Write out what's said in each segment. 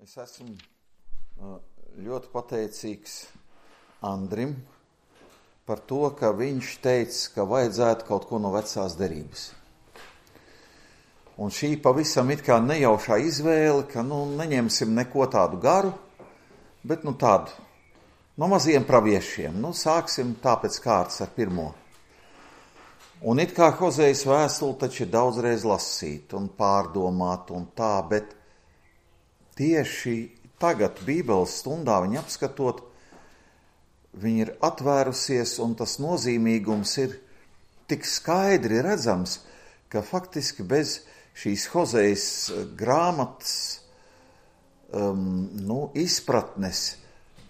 Es esmu ļoti pateicīgs Andrim par to, ka viņš teica, ka vajadzētu kaut ko no vecās derības. Un šī pavisam it kā nejaušā izvēle, ka neņemsim neko tādu garu, bet tādu no maziem praviešiem. Sāksim tāpēc kārtas ar pirmo. Un it kā Hozejas vēstule taču ir daudzreiz lasīt un pārdomāt un tā, bet tieši tagad Bībeles stundā viņa apskatot, viņa ir atvērusies un tas nozīmīgums ir tik skaidri redzams, ka faktiski bez šīs Hozejas grāmatas izpratnes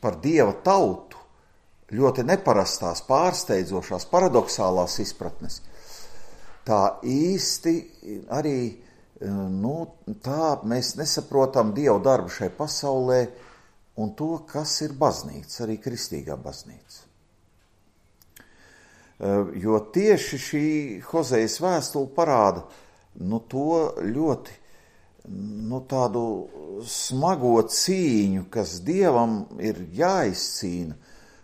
par Dieva tautu, ļoti neparastās, pārsteidzošās, paradoxālās izpratnes, tā īsti arī tā mēs nesaprotam Dieva darbu šai pasaulē un to, kas ir baznīca, arī kristīgā baznīca. Jo tieši šī Hozejas vēstule parāda to ļoti tādu smago cīņu, kas Dievam ir jāizcīna,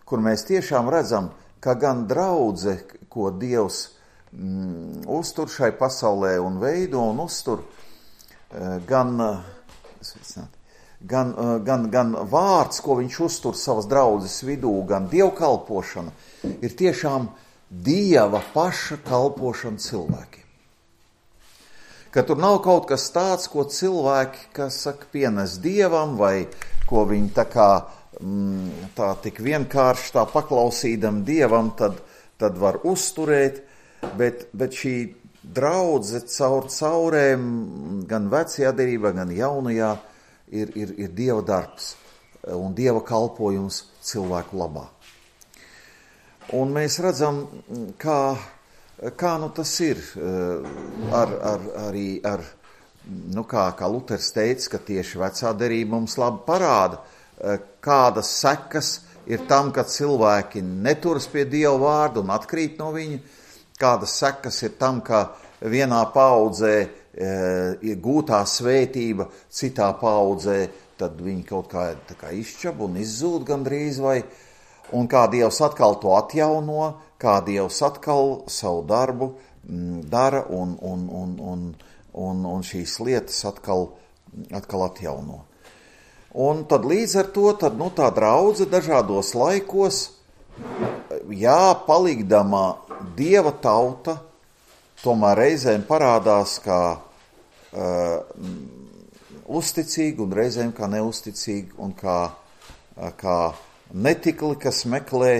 kur mēs tiešām redzam, ka gan draudze, ko Dievs uztur šai pasaulē un veido un uztur, gan vārds, ko viņš uztur savas draudzes vidū, gan dievkalpošana, ir tiešām Dieva paša kalpošana cilvēkiem. Ka tur nav kaut kas tāds, ko cilvēki, kas saka, pienes Dievam, vai ko viņi tā tik vienkārši tā paklausīdam Dievam, tad var uzturēt, bet šī draudze caurēm, gan vecajā derībā, gan jaunajā, ir Dieva darbs un Dieva kalpojums cilvēku labā. Un mēs redzam, kā tas ir kā Luters teica, ka tieši vecā derība mums labi parāda, kādas sekas ir tam, kad cilvēki neturas pie Dieva vārda un atkrīt no viņa, kādas sekas ir tam, ka vienā paaudzē gūtā svētība, citā paaudzē, tad viņi kaut kā izšķab un izzūd gandrīz vai, un kā Dievs atkal to atjauno, kā Dievs atkal savu darbu dara un šīs lietas atkal atjauno. Un tad līdz ar to tā draudze dažādos laikos, palikdama Dieva tauta, tomēr reizēm parādās kā uzticīgi un reizēm kā neuzticīgi un kā netikli, kas meklē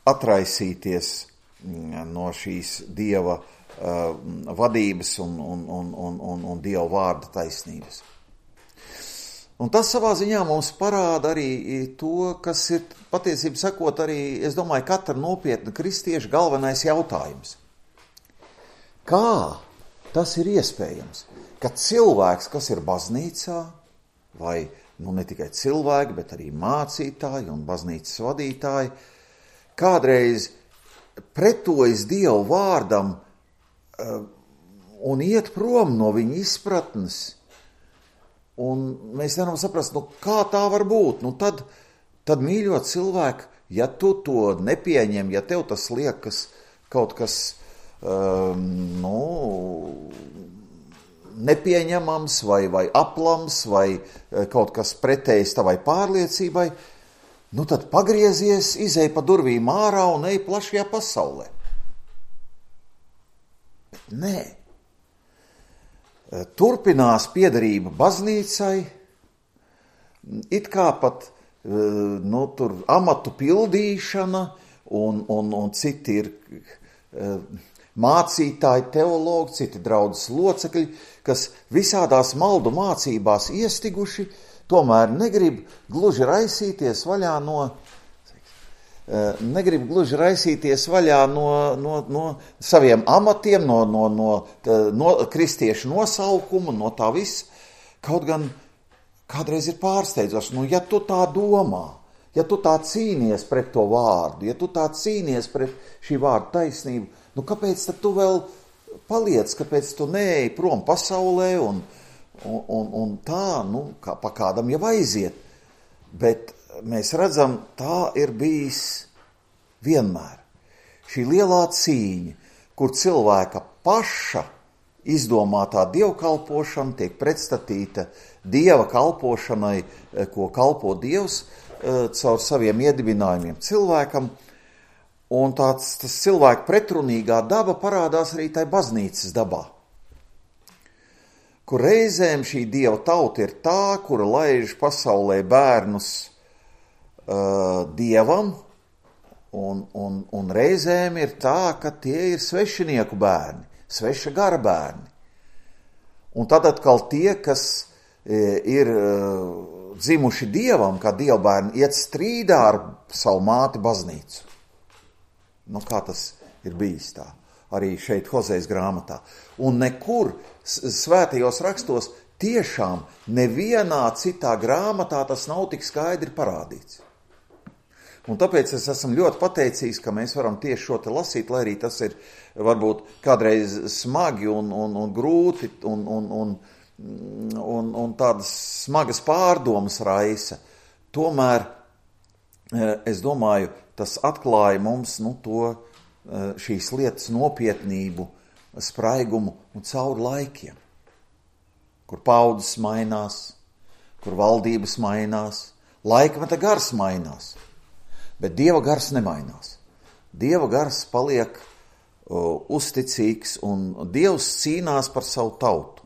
atraisīties no šīs Dieva vadības un Dieva vārda taisnības. Un tas savā ziņā mums parāda arī to, kas ir patiesībā sakot arī, es domāju, katra nopietna kristieša galvenais jautājums. Kā tas ir iespējams, ka cilvēks, kas ir baznīcā, vai ne tikai cilvēki, bet arī mācītāji un baznīcas vadītāji, kādreiz pretojas Dieva vārdam un iet prom no viņa izpratnes, un mēs nevaram saprast, kā tā var būt. Tad mīļot cilvēku, ja tu to nepieņem, ja tev tas liekas kaut kas nepieņemams vai aplams vai kaut kas pretējs tavai pārliecībai, tad pagriezies, izej pa durvīm ārā un ej plašajā pasaulē. Bet nē. Turpinās piederība baznīcai, it kā pat tur amatu pildīšana un citi ir mācītāji, teologi, citi draudzes locekļi, kas visādās maldu mācībās iestiguši, tomēr negrib gluži raisīties vaļā no saviem amatiem, no kristiešu nosaukuma, no tā viss. Kaut gan kādreiz ir pārsteidzoši, ja tu tā domā, ja tu tā cīnies pret to vārdu, ja tu tā cīnies pret šī vārda taisnību, kāpēc tad tu vēl paliec, kāpēc tu neej prom pasaulē un un tā, pa kādam jau aiziet. Bet mēs redzam, tā ir bijis vienmēr. Šī lielā cīņa, kur cilvēka paša izdomātā dievkalpošana tiek pretstatīta dieva kalpošanai, ko kalpo Dievs caur saviem iedibinājumiem cilvēkam. Un tas cilvēka pretrunīgā daba parādās arī tai baznīcas dabā, kur reizēm šī dieva tauta ir tā, kura laiž pasaulē bērnus dievam, un reizēm ir tā, ka tie ir svešinieku bērni, sveša gara bērni. Un tad atkal tie, kas ir dzimuši dievam, kā dievbērni, iet strīdā ar savu māti baznīcu. Kā tas ir bijis tā, arī šeit Hozejas grāmatā. Un nekur svētajos rakstos tiešām nevienā citā grāmatā tas nav tik skaidri parādīts. Un tāpēc es esmu ļoti pateicīgs, ka mēs varam tieši šo te lasīt, lai arī tas ir varbūt kādreiz smagi un grūti un tādas smagas pārdomas raisa. Tomēr, es domāju, tas atklāja mums šīs lietas nopietnību, spraigumu un cauri laikiem, kur paudzes mainās, kur valdības mainās, laikmeta gars mainās. Bet Dieva gars nemainās. Dieva gars paliek uzticīgs un Dievs cīnās par savu tautu.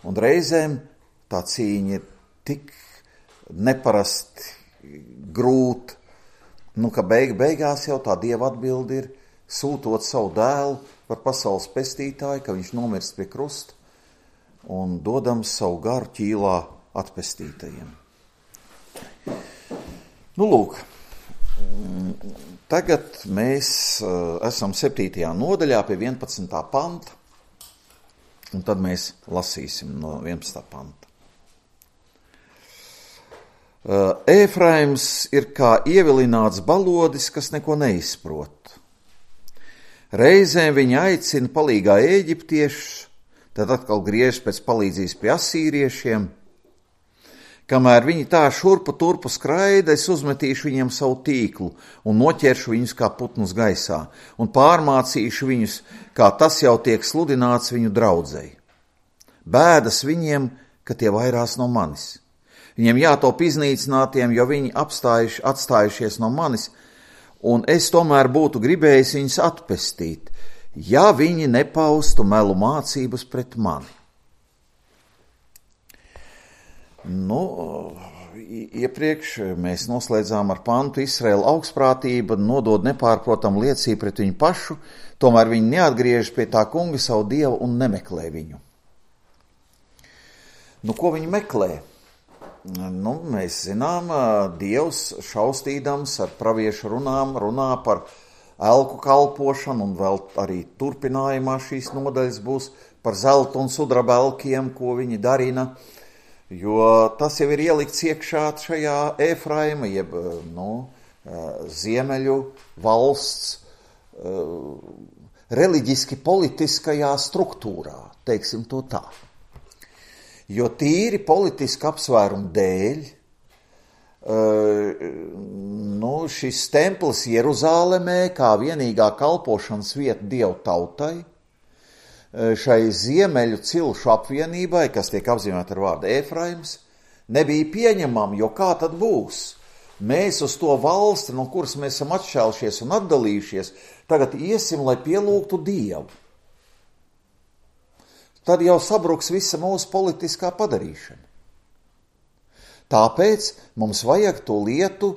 Un reizēm tā cīņa ir tik neparasti grūta, ka beigās jau tā Dieva atbilde ir sūtot savu dēlu par pasaules pestītāju, ka viņš nomirst pie krusta un dodams savu garu ķīlā atpestītajiem. Lūk. Tagad mēs esam 7. nodaļā pie 11. panta, un tad mēs lasīsim no 11. panta. Ēfraims ir kā ievilināts balodis, kas neko neizprot. Reizēm viņa aicina palīgā ēģiptiešus, tad atkal griežas pēc palīdzības pie asīriešiem. Kamēr viņi tā šurpu turpu skraida, es uzmetīšu viņiem savu tīklu un noķeršu viņus kā putnus gaisā un pārmācīšu viņus, kā tas jau tiek sludināts viņu draudzei. Bēdas viņiem, ka tie vairās no manis. Viņiem jātop iznīcinātiem, jo viņi atstājušies no manis, un es tomēr būtu gribējis viņus atpestīt, ja viņi nepaustu melu mācības pret mani. Iepriekš mēs noslēdzām ar pantu Izraēla augstprātība nodod nepārprotam liecību pret viņu pašu, tomēr viņi neatgriežas pie tā kunga savu dievu un nemeklē viņu. Ko viņi meklē? Mēs zinām, Dievs šaustīdams ar praviešu runām runā par elku kalpošanu, un vēl arī turpinājumā šīs nodaļas būs par zelta un sudraba elkiem, ko viņi darina. Jo tas jau ir ielikts iekšā šajā Ēfraima, jeb ziemeļu valsts reliģiski politiskajā struktūrā, teiksim to tā. Jo tīri politiski apsvērumu dēļ šis templis Jeruzālemē kā vienīgā kalpošanas vieta Dievu tautai, šai ziemeļu cilšu apvienībai, kas tiek apzīmēta ar vārdu Ēfraims, nebija pieņemama, jo kā tad būs? Mēs uz to valsti, no kuras mēs esam atšķēlušies un atdalījušies, tagad iesim, lai pielūgtu Dievu. Tad jau sabruks visa mūsu politiskā padarīšana. Tāpēc mums vajag to lietu,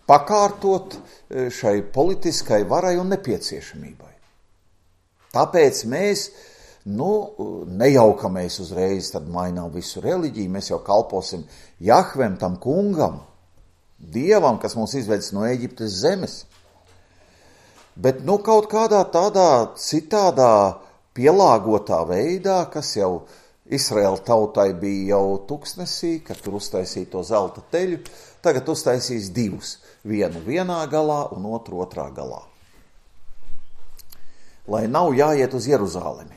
pakārtot šai politiskai varai un nepieciešamībai. Tāpēc mēs, nejaukamies uzreiz, tad mainām visu reliģiju, mēs jau kalposim Jahvem, tam kungam, Dievam, kas mūs izvedis no Ēģiptes zemes. Bet kaut kādā tādā citādā pielāgotā veidā, kas jau Izraēla tautai bija jau tuksnesī, kad tur uztaisīja to zelta teļu, tagad uztaisīs divus, vienu vienā galā un otru otrā galā. Lai nav jāiet uz Jeruzālemi.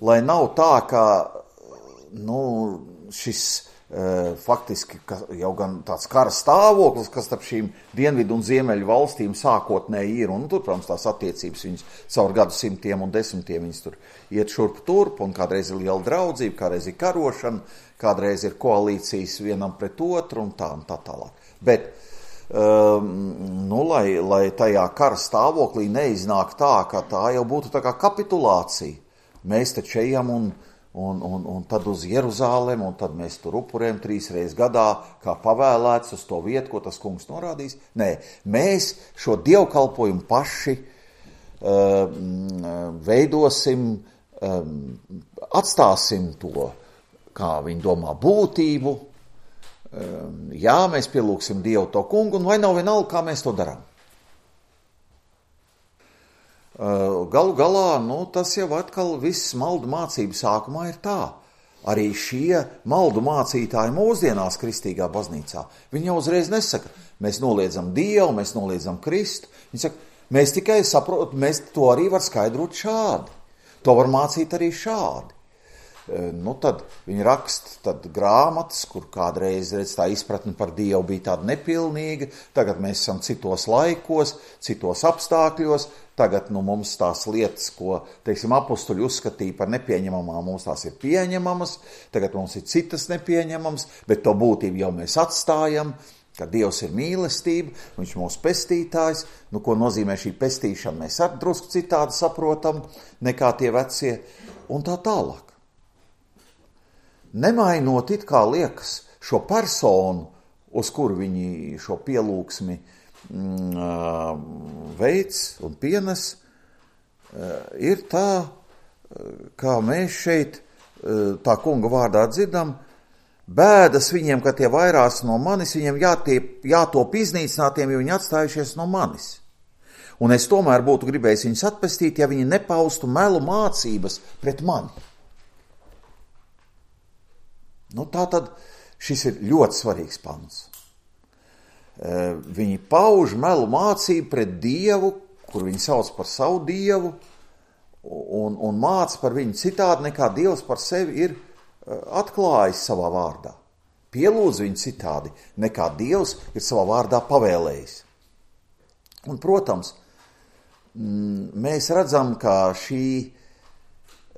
lai nav tā, ka šis faktiski jau gan tāds kara stāvoklis, kas starp šīm dienvidu un ziemeļu valstīm sākotnēji ir, un tur, protams, tās attiecības viņas caur gadsimtiem un desmitiem viņas tur iet šurp turp, un kādreiz ir liela draudzība, kādreiz ir karošana, kādreiz ir koalīcijas vienam pret otru un tā tālāk. Bet, lai tajā kara stāvoklī neiznāk tā, ka tā jau būtu tā kā kapitulācija. Mēs taču ejam un tad uz Jeruzālemi, un tad mēs tur upurējam 3 reizes gadā, kā pavēlēts uz to vietu, ko tas kungs norādīs. Nē, mēs šo dievkalpojumu paši veidosim, atstāsim to, kā viņi domā, būtību. Jā, mēs pielūksim Dievu to kungu, un vai nav vienalga, kā mēs to darām. Galu galā, tas jau atkal viss maldu mācību sākumā ir tā. Arī šie maldu mācītāji mūsdienās kristīgā baznīcā, viņi jau uzreiz nesaka, mēs noliedzam Dievu, mēs noliedzam Kristu. Viņi saka, mēs tikai saprotam, mēs to arī var skaidrot šādi. To var mācīt arī šādi. Tad viņi raksta grāmatas, kur kādreiz tā izpratne par Dievu bija tāda nepilnīga, tagad mēs esam citos laikos, citos apstākļos, tagad mums tās lietas, ko, teiksim, apustuļi uzskatīja par nepieņemamām, mums tās ir pieņemamas, tagad mums ir citas nepieņemamas, bet to būtību jau mēs atstājam, ka Dievs ir mīlestība, viņš ir mūsu pestītājs, ko nozīmē šī pestīšana, mēs arī drusku citādi saprotam, nekā tie vecie, un tā tālāk. Nemainot it kā liekas šo personu, uz kuru viņi šo pielūgsmi veids un pienes, ir tā, kā mēs šeit tā kunga vārdā dzirdam, bēdas viņiem, ka tie vairās no manis, viņiem jātop iznīcinātiem, jo viņi atstājušies no manis. Un es tomēr būtu gribējis viņus atpestīt, ja viņi nepaustu melu mācības pret mani. Tātad šis ir ļoti svarīgs pants. Viņi pauž melu mācību pret Dievu, kur viņi sauc par savu Dievu, un māca par viņu citādi, nekā Dievs par sevi ir atklājis savā vārdā. Pielūdz viņu citādi, nekā Dievs ir savā vārdā pavēlējis. Un, protams, mēs redzam, ka šī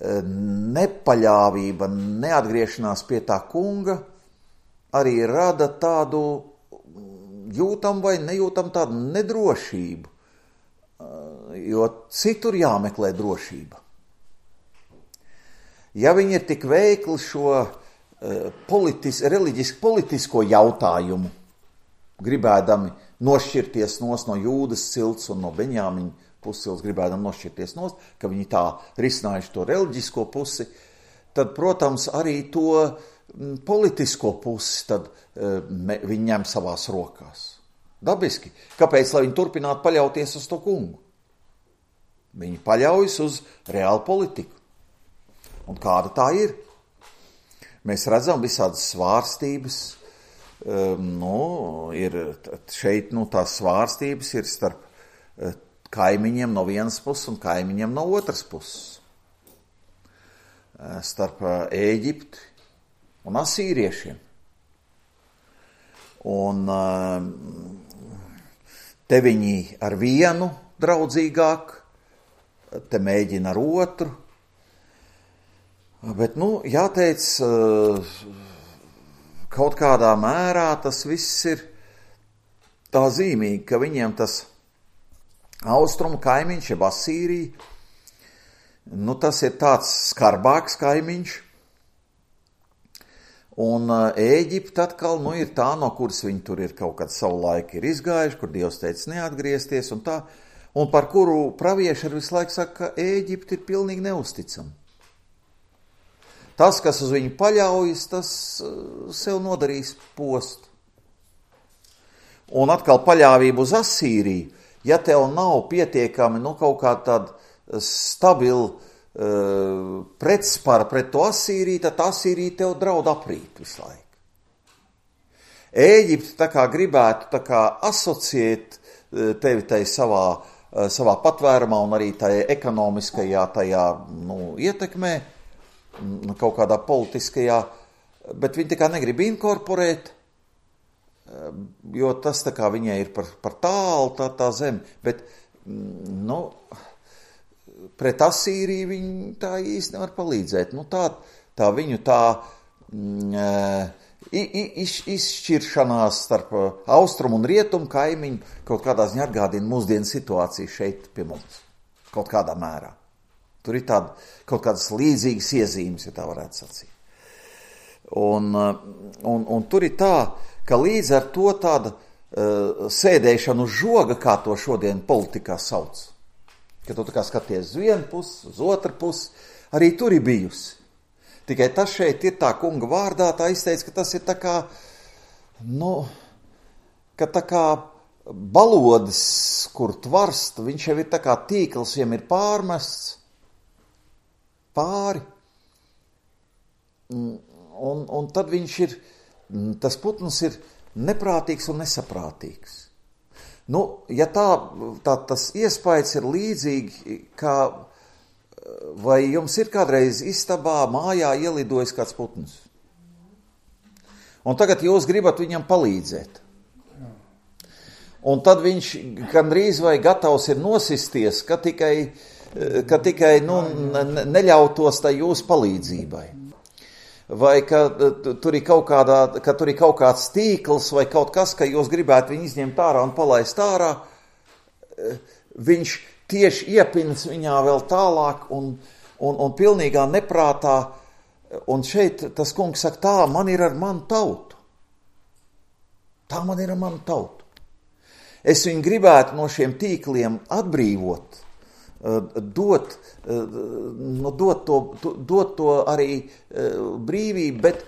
nepaļāvība, neatgriešanās pie tā kunga arī rada tādu jūtam vai nejūtam tādu nedrošību, jo citur jāmeklē drošība. Ja viņi ir tik veikli šo reliģisko jautājumu, gribēdami nošķirties no Jūdas cilts un no Beņāmiņa pussils, gribēdam nošķirties nost, ka viņi tā risinājuši to reliģisko pusi, tad, protams, arī to politisko pusi tad viņi ņem savās rokās. Dabiski. Kāpēc, lai viņi turpinātu paļauties uz to kungu? Viņi paļaujas uz reālu politiku. Un kāda tā ir? Mēs redzam visādas svārstības, ir šeit, tās svārstības ir starp kaimiņiem no vienas puses un kaimiņiem no otras puses. Starp Ēģipti un asīriešiem. Un te viņi ar vienu draudzīgāk, te mēģina ar otru. Bet, jāteic, kaut kādā mērā tas viss ir tā zīmīgi, ka viņiem tas austrumu kaimiņš, jeb Asīrija, tas ir tāds skarbāks kaimiņš, un Ēģipte atkal, ir tā, no kuras viņi tur ir kaut kad savu laiku ir izgājuši, kur Dievs teica neatgriezties, un tā, un par kuru pravieši ar visu laiku saka, ka Ēģipte ir pilnīgi neusticama. Tas, kas uz viņu paļaujas, tas sev nodarīs postu. Un atkal paļāvība uz Asīriju, ja tev nav pietiekami kaut kā tāda stabila pretspara pret to Asīriju, tad Asīrija tev draud aprīt visu laiku. Ēģipte tā kā gribētu tā kā asociēt tevi tai savā patvērumā un arī tajā ekonomiskajā ietekmē, kaut kādā politiskajā, bet viņi tā kā negrib inkorporēt, jo tas tā kā viņai ir par tālu tā zeme, bet, pret Asīriju viņi tā īsti nevar palīdzēt. Tā viņu izšķiršanās starp austrumu un rietumu kaimiņu kaut kādā ziņā atgādina mūsdienu situāciju šeit pie mums, kaut kādā mērā. Tur ir kaut kādas līdzīgas iezīmes, ja tā varētu sacīt. Un tur ir tā, ka līdz ar to tāda sēdēšana uz žoga, kā to šodien politikā sauc, ka tu tā kā skaties uz vienu pusi, uz otru pusi, arī tur ir bijusi. Tikai tas šeit ir tā kunga vārdā, tā izteica, ka tas ir tā kā, ka tā kā balodis, kur tvarst, viņš jau ir tā kā tīkls, viņam ir pārmests pāri, un tad viņš ir, tas putns ir neprātīgs un nesaprātīgs. Ja tas iespējas ir līdzīgi, kā, vai jums ir kādreiz istabā, mājā ielidojis kāds putns? Un tagad jūs gribat viņam palīdzēt. Un tad viņš gandrīz vai gatavs ir nosisties, ka tikai neļautos tai jūsu palīdzībai. Vai ka tur ir kaut kāds tīkls vai kaut kas, ka jūs gribētu viņu izņemt ārā un palaist ārā, viņš tieši iepins viņā vēl tālāk un pilnīgā neprātā, un šeit tas kungs saka, tā man ir ar manu tautu. Tā man ir ar manu tautu. Es viņu gribētu no šiem tīkliem atbrīvot, dot to arī brīvību, bet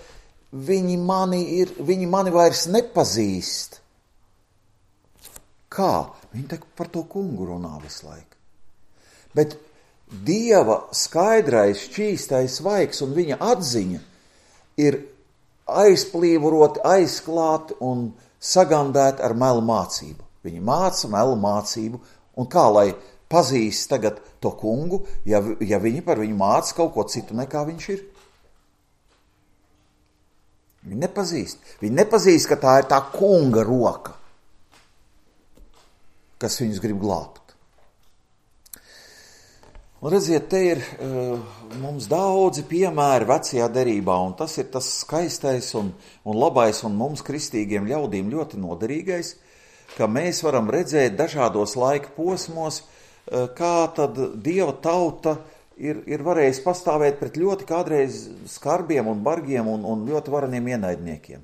viņi mani vairs nepazīst. Kā? Viņi par to kungu runā visu laiku. Bet Dieva skaidrais, šķīstais vaigs un viņa atziņa ir aizplīvuroti, aizklāti un sagandēti ar melu mācību. Viņi māca melu mācību, un kā lai pazīst tagad to kungu, ja viņi par viņu māca kaut ko citu nekā viņš ir? Viņi nepazīst. Viņi nepazīst, ka tā ir tā kunga roka, kas viņus grib glābt. Un redziet, te ir mums daudzi piemēri vecajā derībā, un tas ir tas skaistais un labais un mums kristīgiem ļaudīm ļoti noderīgais, ka mēs varam redzēt dažādos laika posmos, kā tad Dieva tauta ir varējusi pastāvēt pret ļoti kādreiz skarbiem un bargiem un ļoti vareniem ienaidniekiem.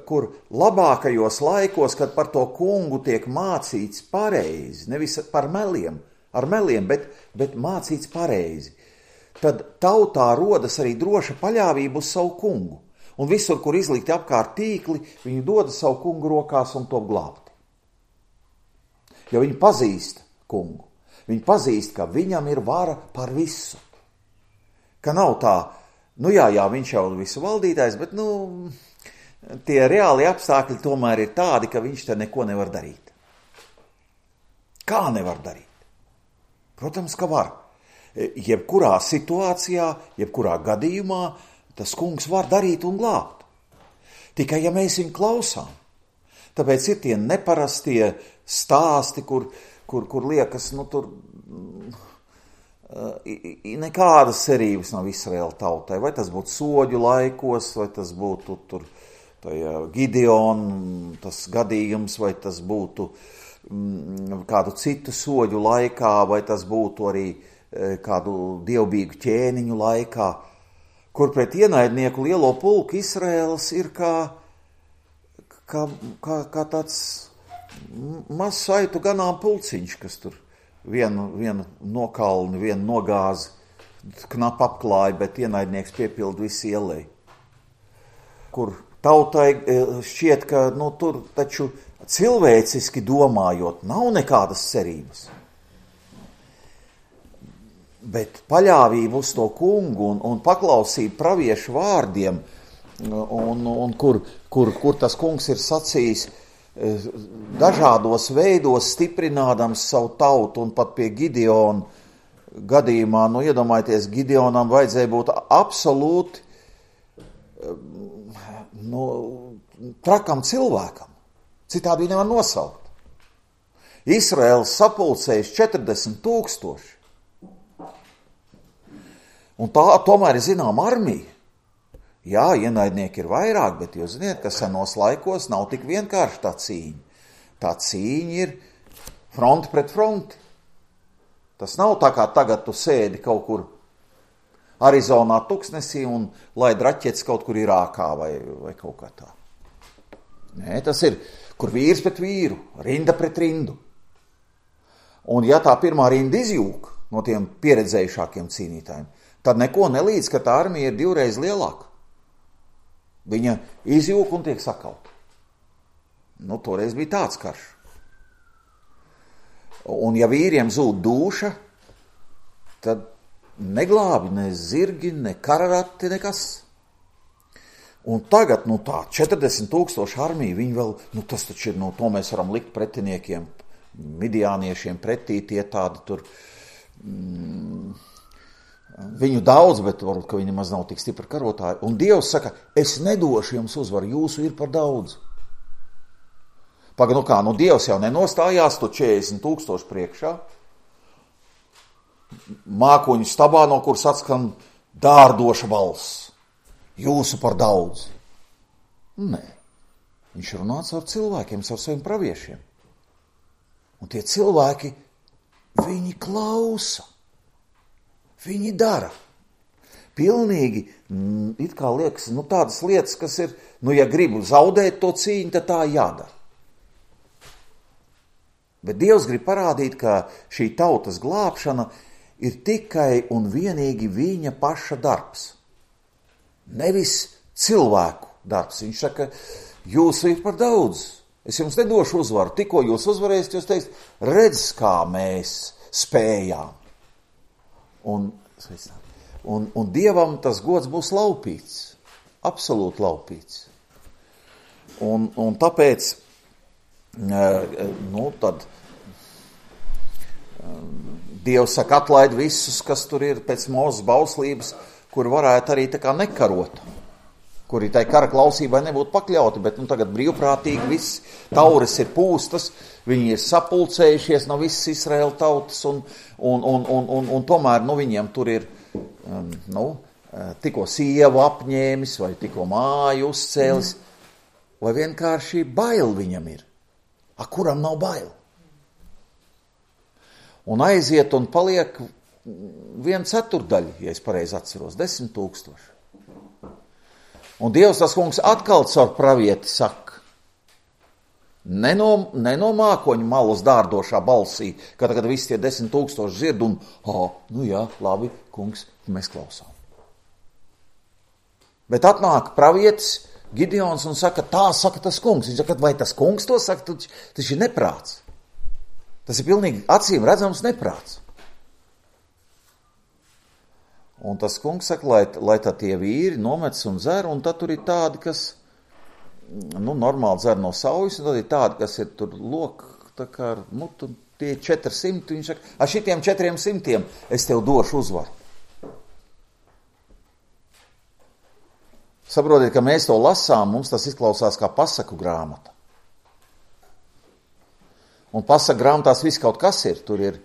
Kur labākajos laikos, kad par to kungu tiek mācīts pareizi, nevis ar meliem, bet mācīts pareizi, tad tautā rodas arī droša paļāvība uz savu kungu. Un visur, kur izlikti apkārt tīkli, viņi dodas savu kungu rokās un top glābti. Jo viņi pazīst kungu. Viņi pazīst, ka viņam ir vara par visu. Ka nav tā, viņš jau visu valdītājs, bet tie reāli apstākļi tomēr ir tādi, ka viņš te neko nevar darīt. Kā nevar darīt? Protams, ka var. Jebkurā situācijā, jebkurā gadījumā tas kungs var darīt un glābt. Tikai, ja mēs viņu klausām. Tāpēc ir tie neparastie stāsti, kur liekas, tur nekādas cerības nav Izraēla tautai. Vai tas būtu soģu laikos, vai tas būtu tur Gideona tas gadījums, vai tas būtu kādu citu soģu laikā, vai tas būtu arī kādu dievbijīgu ķēniņu laikā, kur pret ienaidnieku lielo pulku Izraēlas ir kā tāds mazs saitu ganām pulciņš, kas tur vienu nokalni, vienu nogāzi knap apklāja, bet ienaidnieks piepildu visu ielēju. Kur tautai šķiet, ka tur taču cilvēciski domājot nav nekādas cerības. Bet paļāvība uz to kungu un paklausība praviešu vārdiem, un kur tas kungs ir sacījis dažādos veidos stiprinādams savu tautu, un pat pie Gideona gadījumā, iedomājieties, Gideonam vajadzēja būt absolūti trakam cilvēkam. Citādi viņu nevar nosaukt. Izraēls sapulcējis 40 000. Un tā tomēr ir zinām armija. Jā, ienaidnieki ir vairāk, bet jūs ziniet, ka senos laikos nav tik vienkārši tā cīņa. Tā cīņa ir fronti pret fronti. Tas nav tā kā tagad tu sēdi kaut kur Arizonā tuksnesī un laid raķetes kaut kur Irākā vai kaut kā tā. Nē, tas ir, kur vīrs pret vīru, rinda pret rindu. Un ja tā pirmā rinda izjūk no tiem pieredzējušākiem cīnītājiem, tad neko nelīdz, ka tā armija ir 2 reizes lielāka. Viņa izjūk un tiek sakauta. Toreiz bija tāds karš. Un ja vīriem zūd dūša, tad neglābi ne zirgi, ne kararati, nekas. Un tagad, tā 40 000 armija, viņi vēl, tas taču ir, to mēs varam likt pretiniekiem, midjāniešiem pretī, tie tādi tur, viņu daudz, bet varbūt, ka viņi maz nav tik stipri karotāji. Un Dievs saka, es nedošu jums uzvaru, jūsu ir par daudz. Dievs jau nenostājās, tu 40 000 priekšā, mākoņu stabā, no kuras atskan dārdoša balss. Jūsu par daudz. Nē, viņš runā ar cilvēkiem, ar saviem praviešiem. Un tie cilvēki, viņi klausa, viņi dara. Pilnīgi, it kā liekas, tādas lietas, kas ir, ja gribu zaudēt to cīņu, tad tā jādara. Bet Dievs grib parādīt, ka šī tautas glābšana ir tikai un vienīgi viņa paša darbs. Nevis cilvēku darbs. Viņš saka, jūsu ir par daudz. Es jums nedošu uzvaru. Tikko jūs uzvarēsiet, jūs teiksiet, redz, kā mēs spējām. Un Dievam tas gods būs laupīts. Absolūti laupīts. Un tāpēc, tad Dievs saka, atlaid visus, kas tur ir pēc Mūzes bauslības, kur varētu arī tā kā nekarot, kuri tai kara klausībai nebūtu pakļauti, bet tagad brīvprātīgi viss taures ir pūstas, viņi ir sapulcējušies no visas Izraēla tautas, un tomēr viņiem tur ir tikko sievu apņēmis, vai tikko māju uzcēlis, vai vienkārši bail viņam ir. Kuram nav bail? Un aiziet un paliek 1/4, ja es pareizi atceros, 10 000. Un Dievs tas kungs atkal caur pravieti saka, ne no mākoņu malas dārdošā balsī, kad visi tie 10 000 dzird un, jā, labi, kungs, mēs klausām. Bet atnāk pravietis Gideons un saka, tā saka tas kungs. Viņš saka, vai tas kungs to saka, tas ir neprāts. Tas ir pilnīgi acīm redzams neprāts. Un tas kungs saka, lai tā tie vīri nomets un dzer, un tad tur ir tādi, kas, normāli dzer no saujas, un tad ir tādi, kas ir tur tā kā ar mutu, tie 400, viņš saka, ar šitiem 400 es tev došu uzvaru. Saprotiet, ka mēs to lasām, mums tas izklausās kā pasaku grāmata. Un pasaku grāmatās viss kaut kas ir, tur ir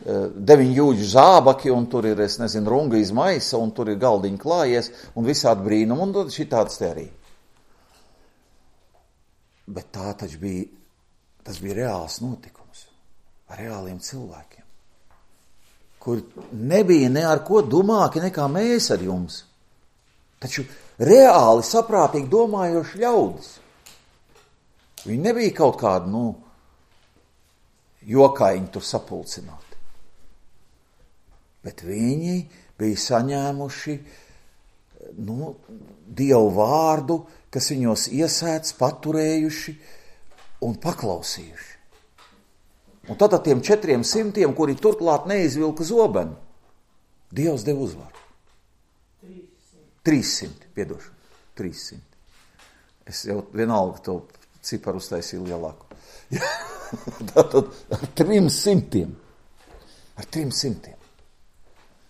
9 jūģu zābaki, un tur ir, runga iz maisa, un tur ir galdiņi klājies, un visādi brīnumi, un tad šitāds te arī. Bet tas bija reāls notikums, ar reāliem cilvēkiem, kur nebija ne ar ko domāki nekā mēs ar jums, taču reāli saprātīgi domājoši ļaudis. Viņi nebija kaut kādi, jokaiņi tur sapulcināti. Bet viņi bija saņēmuši Dievu vārdu, kas viņos iesēdz, paturējuši un paklausījuši. Un tad ar tiem 400, kuri turklāt neizvilka zobenu, Dievs deva uzvaru. 300, piedošanu, 300. Es jau vienalga to ciparu uztaisīju lielāku. Tātad ar 300.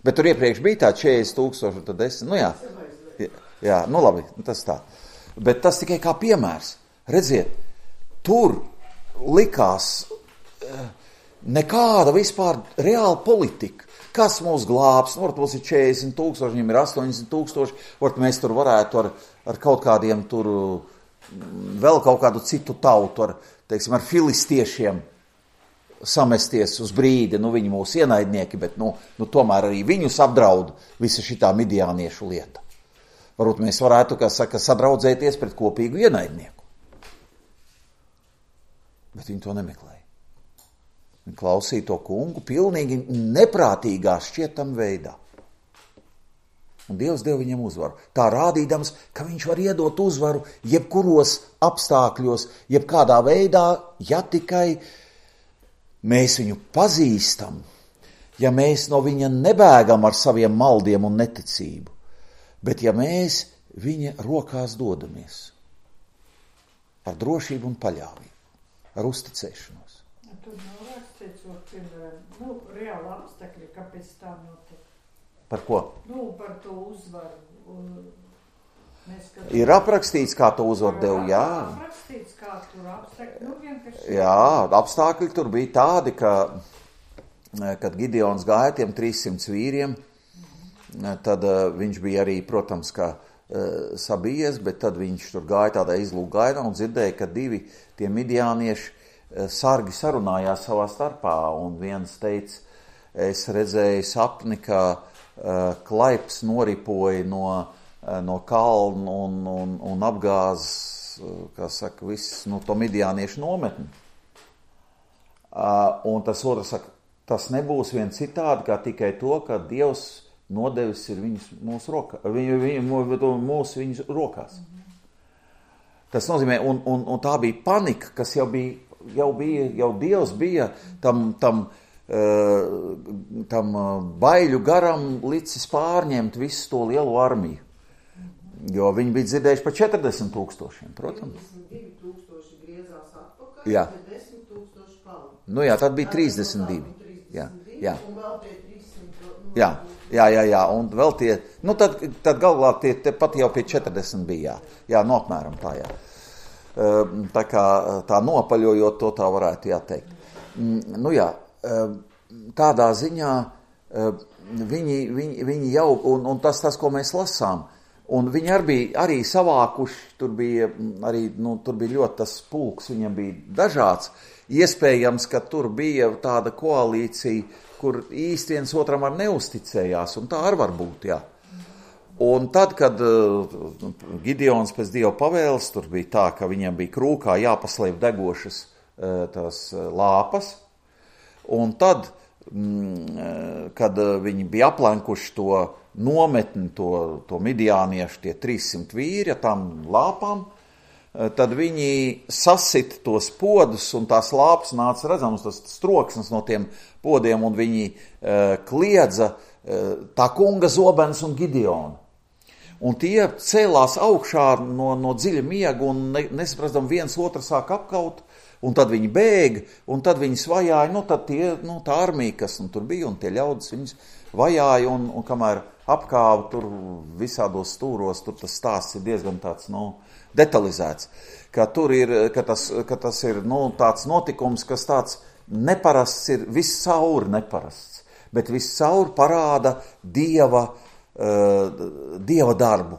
Bet tur iepriekš bija tā 40,000, tad 10, nu jā. Jā, nu labi, tas tā. Bet tas tikai kā piemērs. Redziet, tur likās nekāda vispār reāla politika. Kas mūs glābs? Nu, varbūt mums ir 40,000, viņiem ir 80,000, varbūt mēs tur varētu ar kaut kādiem tur, vēl kaut kādu citu tautu, teiksim, ar filistiešiem samesties uz brīdi, nu viņi mūsu ienaidnieki, bet nu tomēr arī viņus apdraud visa šitā midjāniešu lieta. Varbūt mēs varētu, kā saka, sadraudzēties pret kopīgu ienaidnieku. Bet viņi to nemeklēja. Viņi klausīja to kungu pilnīgi neprātīgā šķietam veidā. Un Dievs deva viņam uzvaru. Tā rādīdams, ka viņš var iedot uzvaru jebkuros apstākļos, jebkādā veidā, ja tikai mēs viņu pazīstam, ja mēs no viņa nebēgam ar saviem maldiem un neticību, bet ja mēs viņa rokās dodamies ar drošību un paļāvību, ar uzticēšanos. Tur nav rakstīts, piemēram, reāli apstākļi, kāpēc tā notiek. Par ko? Par to uzvaru. Ir aprakstīts, kā to uzvaru deva, jā. Aprakstīts, kā tur apstākļi, vienkārši. Jā, apstākļi tur bija tādi, ka, kad Gideons gāja tiem 300 vīriem, tad viņš bija arī, protams, kā sabijies, bet tad viņš tur gāja tādā izlūgaidā un dzirdēja, ka divi tie midjānieši sargi sarunājās savā starpā, un viens teica, es redzēju sapni, ka klaips noripoja no kalna un apgāz, kā saka, viss to midjāniešu nometni. Un tas otrs saka, tas nebūs vien citādi, kā tikai to, ka Dievs nodevis ir mūsu rokās. Tas nozīmē, un tā bija panika, kas jau Dievs bija tam baiļu garam licis pārņemt visu to lielo armiju. Jo viņi bija dzirdējuši par 40,000, protams. 52,000 griezās atpakaļ, jā. 10,000 palika. Nu jā, tad bija 32. Jā. Un vēl tie 300. Jā, un vēl tie, tad galvā tie pat jau pie 40 bija, jā, apmēram tā, jā. Tā kā tā nopaļojot to tā varētu jāteikt. Nu jā, tādā ziņā viņi jau, un tas, ko mēs lasām, un viņi arī savākuši, tur bija ļoti tas pulks, viņam bija dažāds, iespējams, ka tur bija tāda koalīcija, kur īsti viens otram ar neusticējās, un tā arī var būt, jā. Un tad, kad Gideons pēc Dieva pavēles, tur bija tā, ka viņam bija krūkā jāpaslēp degošas tās lāpas, un tad, kad viņi bija aplenkuši to nometni, to midjāniešu, tie 300 vīri ar tām lāpām, tad viņi sasit tos podus, un tās lāpas nāca redzams, tas troksnis no tiem podiem, un viņi kliedza tā kunga zobens un Gideona. Un tie cēlās augšā no dziļa miega un nesaprastam viens otru sāk apkaut, un tad viņi bēg, un tad viņi svajāja, tad tā armija, kas tur bija, un tie ļaudis viņus vajāja, un kamēr apkāva tur visādos stūros, tur tas stāsts ir diezgan tāds, detalizēts, ka tas ir, tāds notikums, kas tāds neparasts ir, viss cauri neparasts, bet viss cauri parāda Dieva darbu,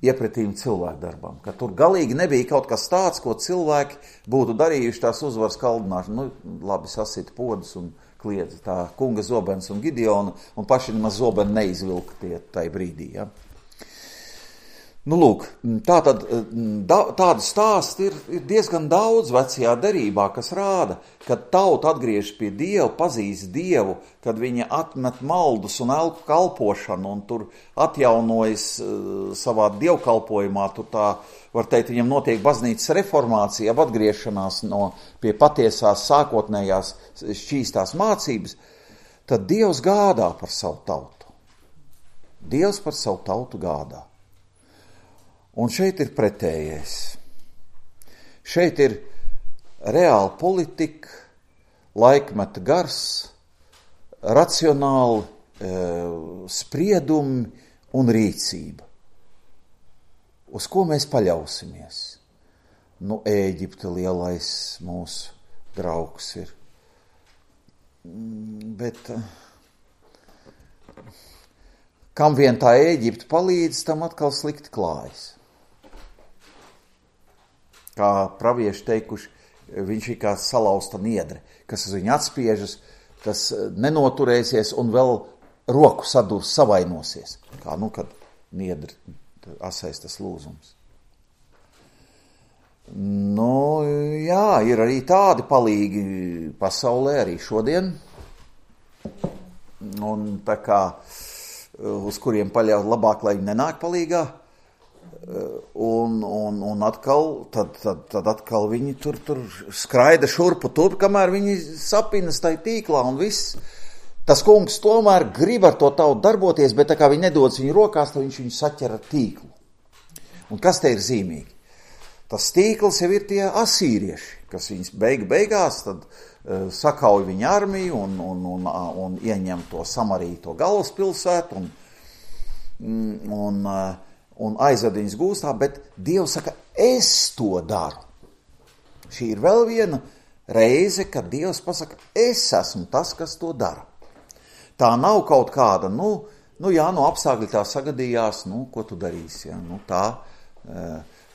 iepretīm cilvēku darbam, ka tur galīgi nebija kaut kas tāds, ko cilvēki būtu darījuši tās uzvaras kaldināšanu. Labi, sasita podus un kliedz tā kunga zobens un Gideona, un paši nemaz zobeni neizvilka tie tai brīdī, ja. Lūk, tādu stāstu ir diezgan daudz vecajā derībā, kas rāda, kad tauta atgriežas pie Dieva, pazīst Dievu, kad viņa atmet maldus un elku kalpošanu un tur atjaunojas savā dievkalpojumā, tur tā, var teikt, viņam notiek baznīcas reformācija, atgriešanās pie patiesās sākotnējās šķīstās mācības, tad Dievs gādā par savu tautu. Dievs par savu tautu gādā. Un šeit ir pretējais. Šeit ir reāla politika, laikmeta gars, racionāli spriedumi un rīcība. Uz ko mēs paļausimies? Nu, Ēģipte lielais mūsu draugs ir. Bet kam vien tā Ēģipte palīdz, tam atkal slikti klājas. Kā pravieši teikuši, viņš ir kā salauzta niedre, kas uz viņu atspiežas, tas nenoturēsies un vēl roku sadurs savainosies. Kā, kad niedre asais tas lūzums. Jā, ir arī tādi palīgi pasaulē, arī šodien. Un tā kā, uz kuriem paļaut labāk, lai viņi nenāk palīgā. Un atkal, tad atkal viņi tur skraida šurpu turp, kamēr viņi sapinas tai tīklā un viss. Tas kungs tomēr grib ar to tautu darboties, bet tā kā viņi nedodas viņu rokās, tad viņš viņu saķer ar tīklu. Un kas te ir zīmīgi? Tas tīkls jau ir tie asīrieši, kas viņus beigās tad sakauj viņa armiju un ieņem to Samariju, to galvaspilsētu un aizved viņus gūstā, bet Dievs saka, es to daru. Šī ir vēl viena reize, kad Dievs pasaka, es esmu tas, kas to dara. Tā nav kaut kāda, apstākļi tā sagadījās, ko tu darīsi,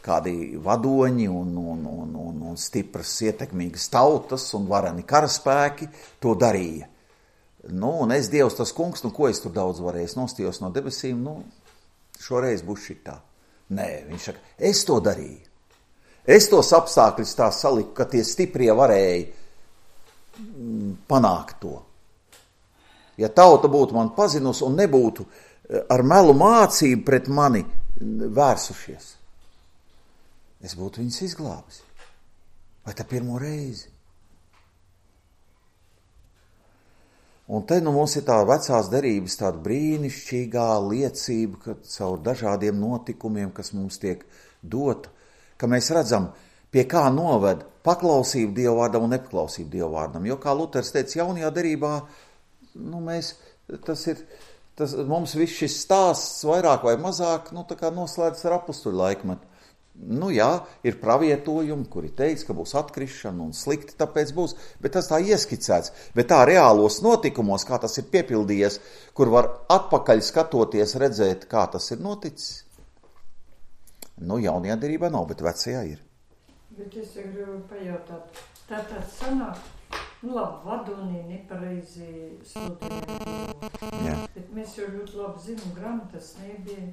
kādi vadoņi un stipras, ietekmīgas tautas un vareni karaspēki to darīja. Un es, Dievs, tas kungs, ko es tur daudz varēju, es nostījos no debesīm, šoreiz būs šitā. Nē, viņš saka, es to darīju. Es tos apstākļus tā saliku, ka tie stiprie varēja panākt to. Ja tauta būtu man pazinusi un nebūtu ar melu mācību pret mani vērsušies, es būtu viņus izglābis. Vai tā pirmo reizi? Un te mums ir tā vecās derības tāda brīnišķīgā liecība, ka caur dažādiem notikumiem, kas mums tiek dota, ka mēs redzam, pie kā noved paklausību Dieva vārdam un nepaklausību Dieva vārdam. Jo, kā Luters teica, jaunajā derībā, mums viss šis stāsts vairāk vai mazāk, tā kā noslēdz ar apustuļu laikmetu. Ir pravietojumi, kuri teica, ka būs atkrišana un slikti, tāpēc būs, bet tas tā ieskicēts. Bet tā reālos notikumos, kā tas ir piepildījies, kur var atpakaļ skatoties, redzēt, kā tas ir noticis. Jaunajā derībā nav, bet vecajā ir. Bet es gribu pajautāt, tātad sanāk, vadonī nepareizi sludināt. Bet mēs jau ļoti labi zinām, grāmatas nebija.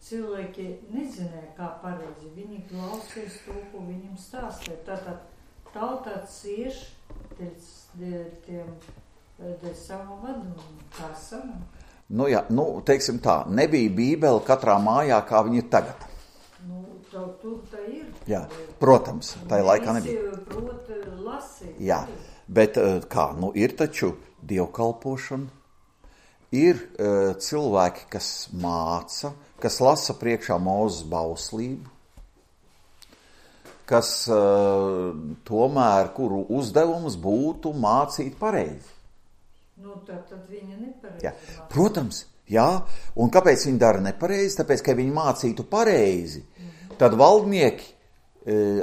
Cilvēki nezināja, kā pareizi. Viņi klausīs to, ko viņam stāstīja. Tātad tautā cieš dēļ savu vadoņu. Kā sanāk? Teiksim tā, nebija Bībele katrā mājā, kā viņa ir tagad. Tur tā ir. Jā, protams, tajā laikā nebija. Visi prot lasīt. Jā, bet ir taču dievkalpošana. Ir cilvēki, kas māca, kas lasa priekšā Mūzes bauslību, kas tomēr, kuru uzdevums būtu mācīt pareizi. Tad viņa nepareizi. Jā. Protams, jā. Un kāpēc viņi dara nepareizi? Tāpēc, ka viņi mācītu pareizi, tad valdnieki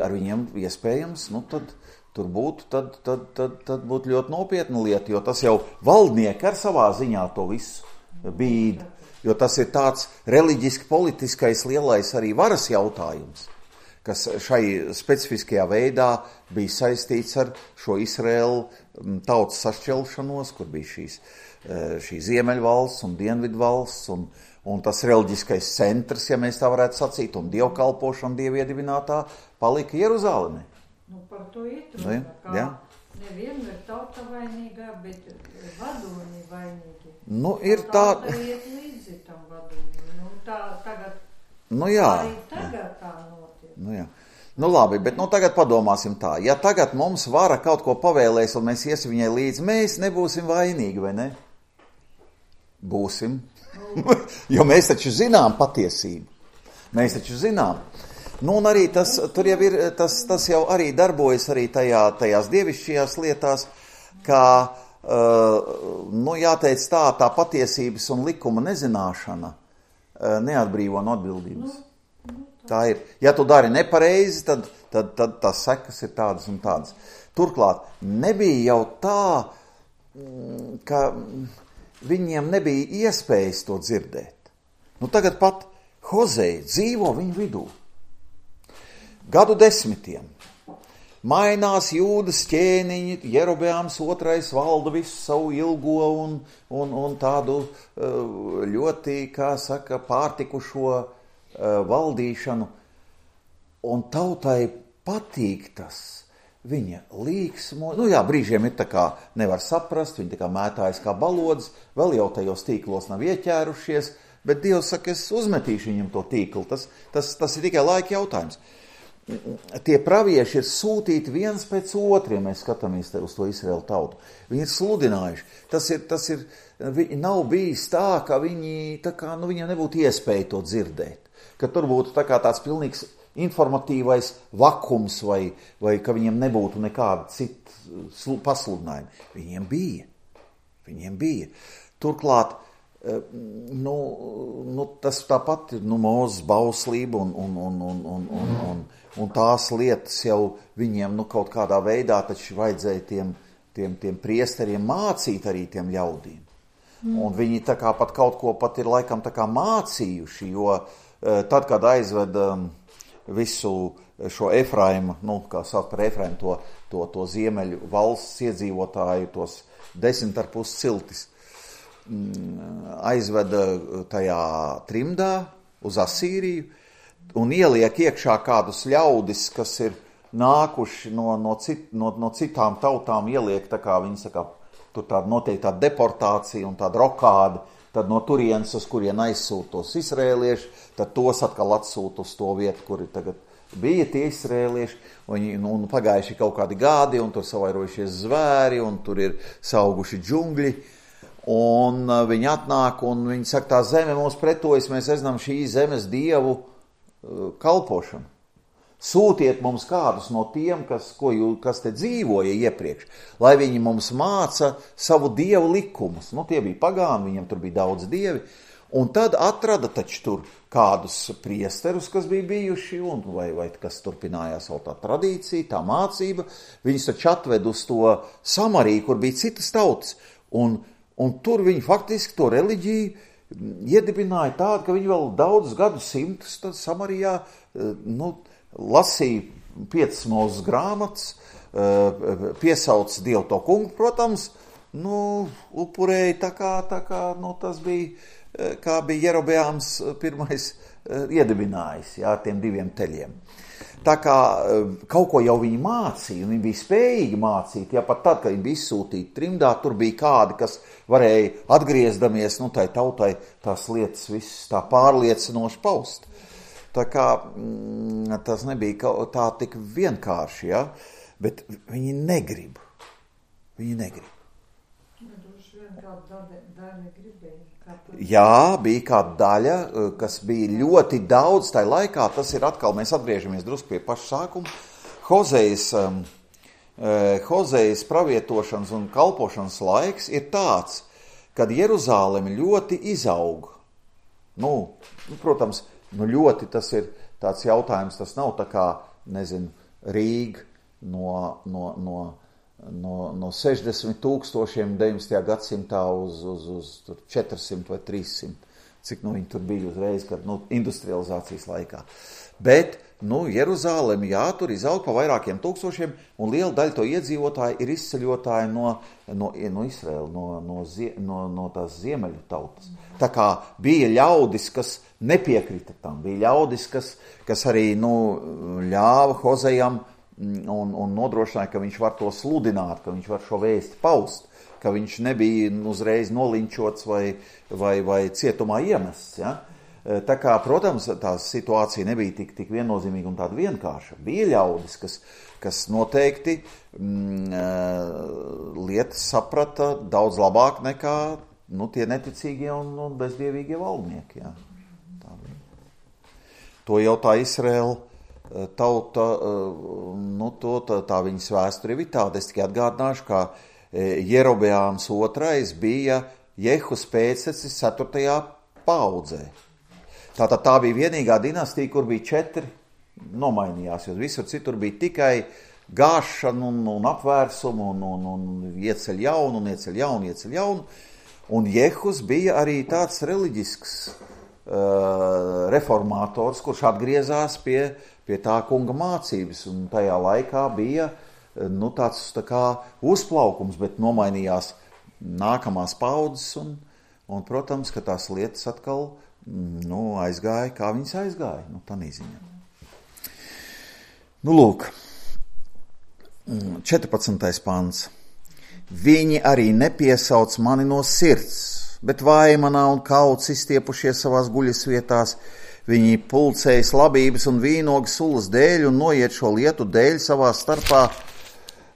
ar viņiem iespējams, tad tur būtu, tad būtu ļoti nopietna lieta, jo tas jau valdnieki ar savā ziņā to visu bīd. Jo tas ir tāds reliģiski politiskais lielais arī varas jautājums, kas šai specifiskajā veidā bija saistīts ar šo Izraēlu tautas sašķelšanos, kur bija šī Ziemeļvalsts un Dienvidvalsts un tas reliģiskais centrs, ja mēs tā varētu sacīt, un dievkalpošana dieviedibinātā palika Jeruzalemē. Par to itrunā, kā nevienmēr tauta vainīgā, bet vadoņi vainīgi. Ir tā... Tauta iet līdzi tam vadoņi. Tagad... Jā. Arī tagad tā notiek. Jā. Labi, bet tagad padomāsim tā. Ja tagad mums vara kaut ko pavēlēs un mēs iesim viņai līdzi, mēs nebūsim vainīgi, vai ne? Būsim. Jo mēs taču zinām patiesību. Mēs taču zinām. Un arī tas jau arī darbojas arī tajās dievišķajās lietās, kā jāteic tā patiesības un likuma nezināšana neatbrīvo no atbildības. Tā ir. Ja tu dari nepareizi, tad tās sekas ir tādas un tādas. Turklāt, nebija jau tā, ka viņiem nebija iespējas to dzirdēt. Tagad pat Hozei dzīvo viņu vidū. Gadu desmitiem. Mainās Jūdas ķēniņi, Jerobeāms II valda visu savu ilgo un tādu ļoti, pārtikušo valdīšanu. Un tautai patīk tas. Viņa līksmo, brīžiem ir tā kā nevar saprast, viņi tā kā mētājas kā balodas, vēl jau tajos tīklos nav ieķērušies, bet Dievs saka, es uzmetīšu viņam to tīklu, tas ir tikai laika jautājums. Tie pravieši ir sūtīti viens pēc otriem, mēs skatāmies uz to Izraēlu tautu. Viņi ir sludinājuši. Tas ir, nav bijis tā, ka viņiem nebūtu iespēja to dzirdēt. Ka tur būtu tāds pilnīgs informatīvais vakums vai ka viņiem nebūtu nekāda cita pasludinājuma. Viņiem bija. Turklāt, tas tāpat ir Mūzes bauslība un tās lietas jau viņiem kaut kādā veidā taču vajadzēja tiem priesteriem mācīt arī tiem ļaudīm. Un viņi tā kā pat kaut ko pat ir laikam tā kā mācījuši, jo tad, kad aizveda visu šo Efraimu, kā sauc par Efraimu, to ziemeļu valsts iedzīvotāju, tos 10,5 ciltis, aizveda tajā trimdā uz Asīriju un ieliek iekšā kādus ļaudis, kas ir nākuši no citām tautām, ieliek tā kā viņi saka, tur tāda noteikti tāda deportācija un tāda rokāda, tad no turienes, uz kurien aizsūt tos izrēlieši, tad tos atkal atsūt uz to vietu, kuri tagad bija tie izrēlieši, un pagājuši kaut kādi gadi, un tur savairojušies zvēri, un tur ir sauguši džungļi, un viņi atnāk, un viņi saka, tā zeme mums pretojas, mēs zinām šī zemes dievu kalpošanu. Sūtiet mums kādus no tiem, kas te dzīvoja iepriekš, lai viņi mums māca savu dievu likumus. Tie bija pagāni, viņam tur bija daudz dievi. Un tad atrada taču tur kādus priesterus, kas bija bijuši, vai kas turpinājās vēl tā tradīcija, tā mācība. Viņus taču atved uz to Samariju, kur bija citas tautas. Un tur viņi faktiski to reliģiju iedibināja tādu, ka viņi vēl daudzus gadsimtus Samarijā, lasīja 5 Mūzes grāmatas, piesauc Dievu to kungu, protams, upurēja tā kā tas bija, kā bija Jerobeāms pirmais iedibinājis, ar tiem 2 teļiem. Tā kā kaut ko jau viņi mācīja, un viņi bija spējīgi mācīt, pat tad, kad viņi bija izsūtīti trimdā, tur bija kādi, kas varēja atgriezdamies, tai tautai tās lietas visas tā pārliecinoši paust. Tā kā tas nebija tā tik vienkārši, bet viņi negrib. Jā, bija kāda daļa, kas bija ļoti daudz tajā laikā, tas ir atkal, mēs atgriežamies drusku pie paša sākuma. Hozejas pravietošanas un kalpošanas laiks ir tāds, kad Jeruzāleme ļoti izaug. Protams, ļoti tas ir tāds jautājums, tas nav tā kā, Rīga no 60 000 19. gadsimtā uz 400 vai 300, cik viņi tur bija uzreiz, kad industrializācijas laikā. Bet, Jeruzāleme, tur izaug pa vairākiem tūkstošiem, un liela daļa to iedzīvotāji ir izceļotāji no Izraēla, no tās ziemeļu tautas. Tā kā bija ļaudis, kas nepiekrita tam, bija ļaudis, kas arī ļāva Hozejam un nodrošināja, ka viņš var to sludināt, ka viņš var šo vēsti paust, ka viņš nebija uzreiz nolinčots vai cietumā iemests. Ja? Tā kā, protams, tā situācija nebija tik viennozīmīga un tāda vienkārša. Bija ļaudis, kas noteikti lietas saprata daudz labāk nekā tie neticīgie un bezdievīgie valdnieki. Ja? To jau tā Izraēla tauta, tā viņas vēsture ir tāda. Es tikai atgādināšu, ka Jerobeāms II bija Jehus pēctecis 4. paudzē. Tātad tā bija vienīgā dinastija, kur bija 4 nomainījās, jo visur citur bija tikai gāšana un apvērsumu un ieceļ jaunu. Un Jehus bija arī tāds reliģisks reformātors, kurš atgriezās pie tā kunga mācības, un tajā laikā bija tāds tā kā uzplaukums, bet nomainījās nākamās paudzes, un protams, ka tās lietas atkal aizgāja, kā viņas aizgāja, tā neziņa. Lūk, 14. pants. Viņi arī nepiesauc mani no sirds, bet vaimanā un kauts izstiepušies savās guļas vietās. Viņi pulcējas labības un vīnogas sulas dēļ un noiet šo lietu dēļ savā starpā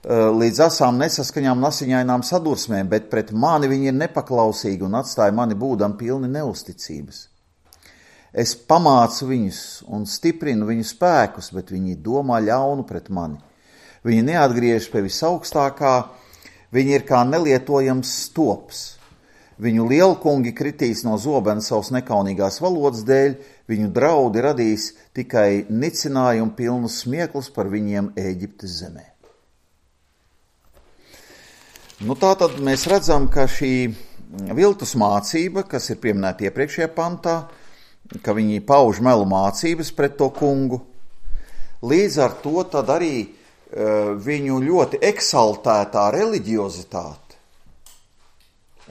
līdz asām nesaskaņām un asiņainām sadursmēm, bet pret mani viņi ir nepaklausīgi un atstāja mani būdam pilni neusticības. Es pamācu viņus un stiprinu viņu spēkus, bet viņi domā ļaunu pret mani. Viņi neatgriežas pie visaugstākā, viņi ir kā nelietojams stops. Viņu lielkungi kritīs no zobena savas nekaunīgās valodas dēļ, viņu draudi radīs tikai nicinājumu pilnus smieklus par viņiem Ēģiptes zemē. Tātad mēs redzam, ka šī viltus mācība, kas ir pieminēta iepriekšējā pantā, ka viņi pauž melu mācības pret to kungu, līdz ar to tad arī viņu ļoti eksaltētā reliģiozitāte.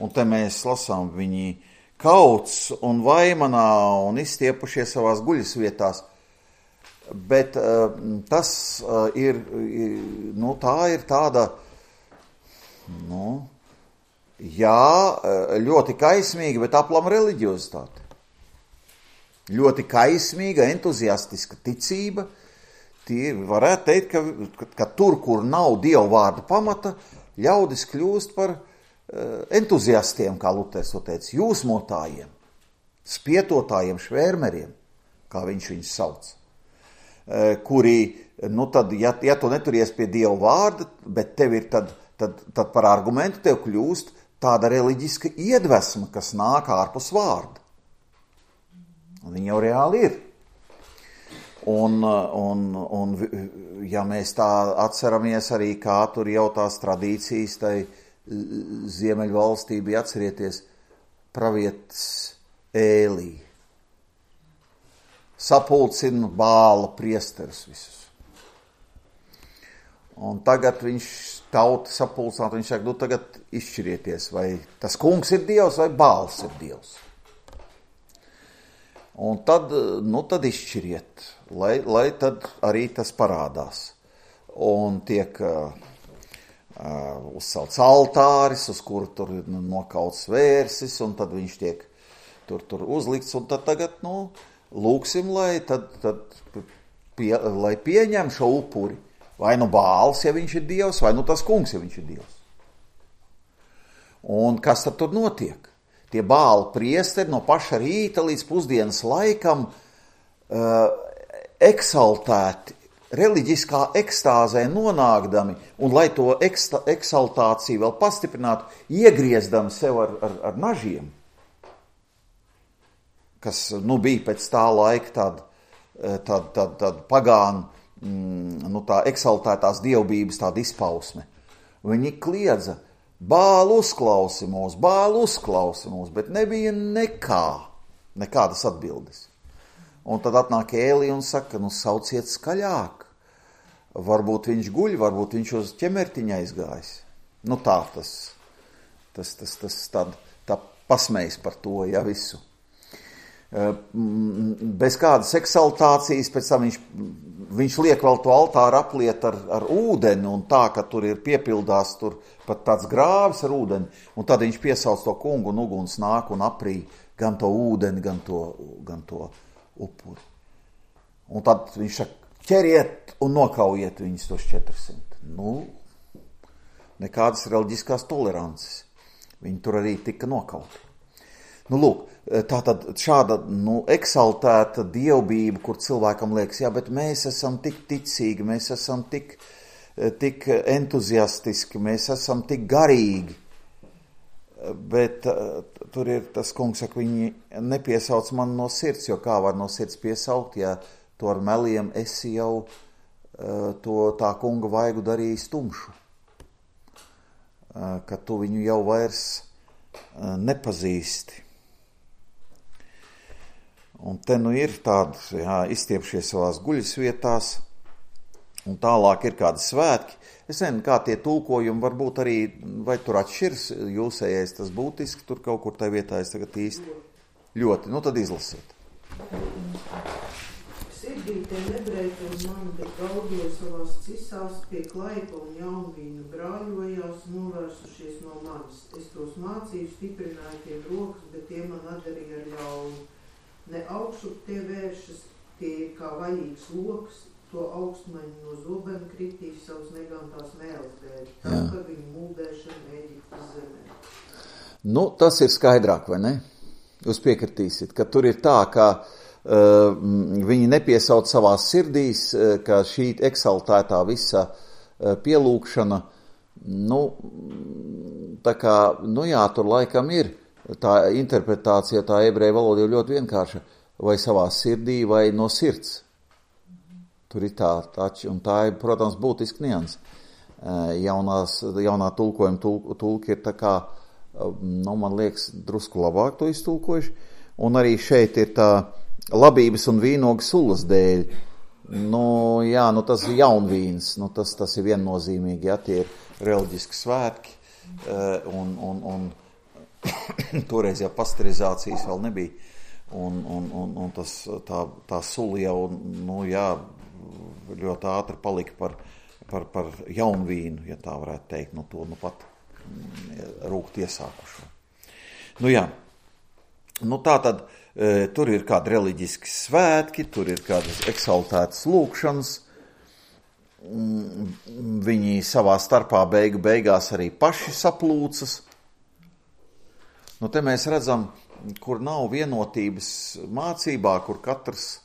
Un te mēs lasām, viņi kauts un vaimanā un izstiepušies savās guļas vietās. Bet tas ir, tā ir tāda, ļoti kaismīga, bet aplama reliģiozitāte. Ļoti kaismīga, entuziastiska ticība. Tie varētu teikt, ka tur, kur nav Dieva vārda pamata, ļaudis kļūst par entuziastiem, kā Luters to teica, jūsmotājiem, spietotājiem, švērmeriem, kā viņš viņus sauc, kuri, tad, ja tu neturies pie Dieva vārda, bet tev ir tad par argumentu tev kļūst tāda reliģiska iedvesma, kas nāk ārpus vārda. Un viņa jau reāli ir. Un ja mēs tā atceramies arī, kā tur jau tās tradīcijas, tai Ziemeļvalstī bija, atcerieties, pravietis Ēlī. Sapulcina Bāla priesterus visus. Un tagad viņš tauta sapulcināt, viņš saka, tagad izšķirieties, vai tas kungs ir Dievs, vai Bāls ir Dievs. Un tad izšķiriet, lai tad arī tas parādās. Un tiek uzcelts altāris, uz kuru tur ir nokauts vērsis, un tad viņš tiek tur uzlikts, un tad tagad, lūksim, lai pieņem šo upuri. Vai Bāls, ja viņš ir Dievs, vai tas kungs, ja viņš ir Dievs. Un kas tad tur notiek? Tie Bāla priesteri no paša rīta līdz pusdienas laikam eksaltēti, reliģiskā ekstāzē nonākdami, un lai to eksaltāciju vēl pastiprinātu, iegriezdami sev ar nažiem, kas bija pēc tā laika tāda pagānu, tā eksaltētās dievbības tāda izpausme. Viņi kliedza, Bālu uzklausi mūs, bet nebija nekādas atbildes. Un tad atnāk Ēlī un saka, sauciet skaļāk. Varbūt viņš guļ, varbūt viņš uz ķemertiņa aizgājis. Tā pasmējis par to, visu. Bez kādas eksaltācijas, pēc tam viņš liek vēl to altāru apliet ar ūdeni, un tā, ka tur ir piepildās tur pat tāds grāvis ar ūdeni, un tad viņš piesauc to kungu, un uguns nāk un aprī gan to ūdeni, gan to upuri. Un tad viņš saka, ķeriet un nokaujiet viņus tos 400. Nekādas reliģiskās tolerances. Viņi tur arī tika nokauti. Tātad šāda eksaltēta dievbība, kur cilvēkam liekas, bet mēs esam tik ticīgi, mēs esam tik tik entuziastiski, mēs esam tik garīgi, bet tur ir tas kungs, saka, viņi nepiesauc man no sirds, jo kā var no sirds piesaukt, ja to ar meliem esi jau to tā kunga vaigu darījis tumšu, ka tu viņu jau vairs nepazīsti. Un te nu ir tādi, izstiepšies savās guļas vietās, un tālāk ir kādi svētki. Es nezinu, kā tie tulkojumi varbūt arī, vai tur atšķirs jūsējais tas būtiski, tur kaut kur tai vietā es tagad īsti ļoti, nu tad izlasiet. Sirdīte nebreita un mani, bet gaudoja savās cisās pie klaipa un jaunvīnu brāļojās novērsušies no manis. Es tos mācīju, stiprināju tiem rokas, bet tie man atdarīja ar ļaunu. Ne augšup tie vēršas, tie ir kā vaļīgs loks, to augstmaņu no zobena kritīs savas negantās mēles dēļ, tā par viņu mūldēšanu Ēģiptes zemē. Nu, tas ir skaidrāk, vai ne? Jūs piekritīsiet, ka tur ir tā, ka viņi nepiesauc savās sirdīs, ka šī eksaltētā visa pielūkšana, nu, tā kā, nu jā, tur laikam ir tā interpretācija, tā ebreju valoda ir ļoti vienkārša, vai savā sirdī, vai no sirds. Tur ir tā, un tā ir, protams, būtiski nians. Jaunā tulkojuma tulki ir tā kā, nu, man liekas, drusku labāk to iztulkojuši, un arī šeit ir tā labības un vīnogas sulas dēļ. Nu, jā, nu tas ir jaunvīns, nu tas ir viennozīmīgi, ja tie ir reliģiski svētki, un toreiz jau pasterizācijas vēl nebija, un tas, tā sula jau, nu jā, ļoti ātri palika par jaunvīnu, ja tā varētu teikt, no to, nu pat rūkt iesākušo. Nu jā, nu tā tad, tur ir kādi reliģiski svētki, tur ir kādas eksaltētas lūkšanas, viņi savā starpā beigās arī paši saplūcas. Nu te mēs redzam, kur nav vienotības mācībā, kur katrs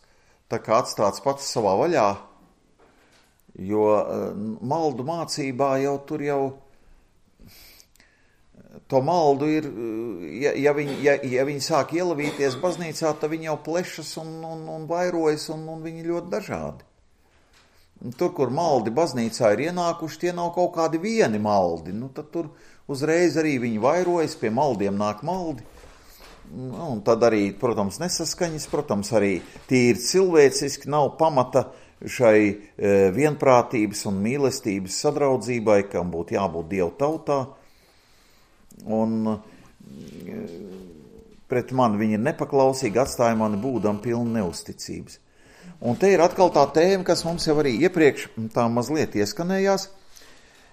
tā kā atstāts pats savā vaļā, jo maldu mācībā jau tur jau to maldu ir, ja viņi sāk ielavīties baznīcā, tad viņi jau plešas un vairojas, un viņi ļoti dažādi. Tur, kur maldi baznīcā ir ienākuši, tie nav kaut kādi vieni maldi, nu tad tur uzreiz arī viņi vairojas, pie maldiem nāk maldi, un tad arī, protams, nesaskaņas, protams, arī tīri cilvēciski nav pamata šai vienprātības un mīlestības sadraudzībai, kam būtu jābūt Dievu tautā, un pret mani viņi ir nepaklausīgi, atstāja mani būdam pilnu neusticības. Un te ir atkal tā tēma, kas mums jau arī iepriekš tā mazliet ieskanējās.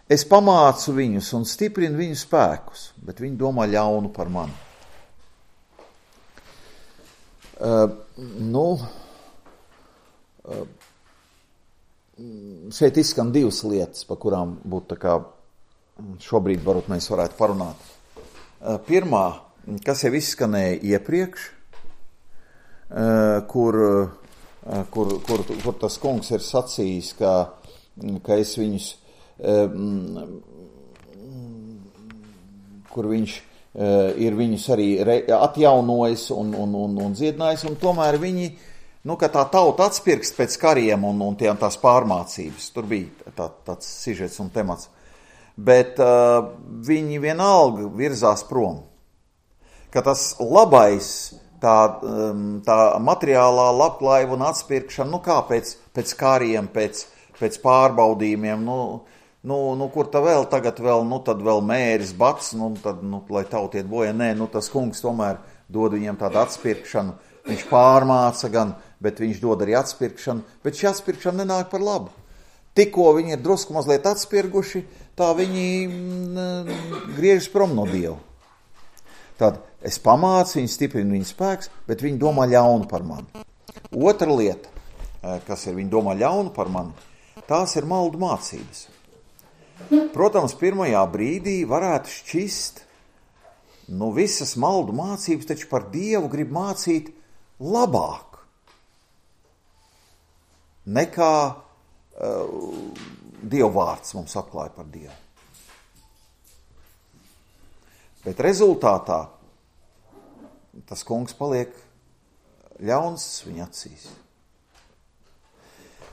Es pamācu viņus un stiprinu viņu spēkus, bet viņi domā ļaunu par mani. Šeit izskan divas lietas, pa kurām būtu tā kā šobrīd varbūt mēs varētu parunāt. Pirmā, kas jau izskanēja iepriekš, kur tas kungs ir sacījis, ka es viņus, kur viņš ir viņus arī atjaunojis un dziedinājis, un tomēr viņi, nu, ka tā tauta atspirkst pēc kariem un tās pārmācības. Tur bija tāds sižets un temats. Bet viņi vienalga virzās prom. Ka tas labais, tā materiālā labklājība un atspirkšana, nu kā pēc kariem, pēc pārbaudījumiem, nu kur tā vēl tagad vēl, nu tad vēl mēris bats, nu tad, nu, lai tautiet bojā, nē, nu tas kungs tomēr dod viņiem tādu atspirkšanu, viņš pārmāca gan, bet viņš dod arī atspirkšanu, bet šī atspirkšana nenāk par labu. Tikko viņi ir drusku mazliet atspirguši, tā viņi griežas prom no Dieva. Tad es pamācu, viņi stiprinu viņu spēks, bet viņi domā ļaunu par mani. Otra lieta, kas ir viņi domā ļaunu par mani, tās ir maldu mācības. Protams, pirmajā brīdī varētu šķist, nu visas maldu mācības taču par Dievu grib mācīt labāk nekā Dieva vārds mums atklāja par Dievu. Bet rezultātā tas kungs paliek ļauns viņa acīs.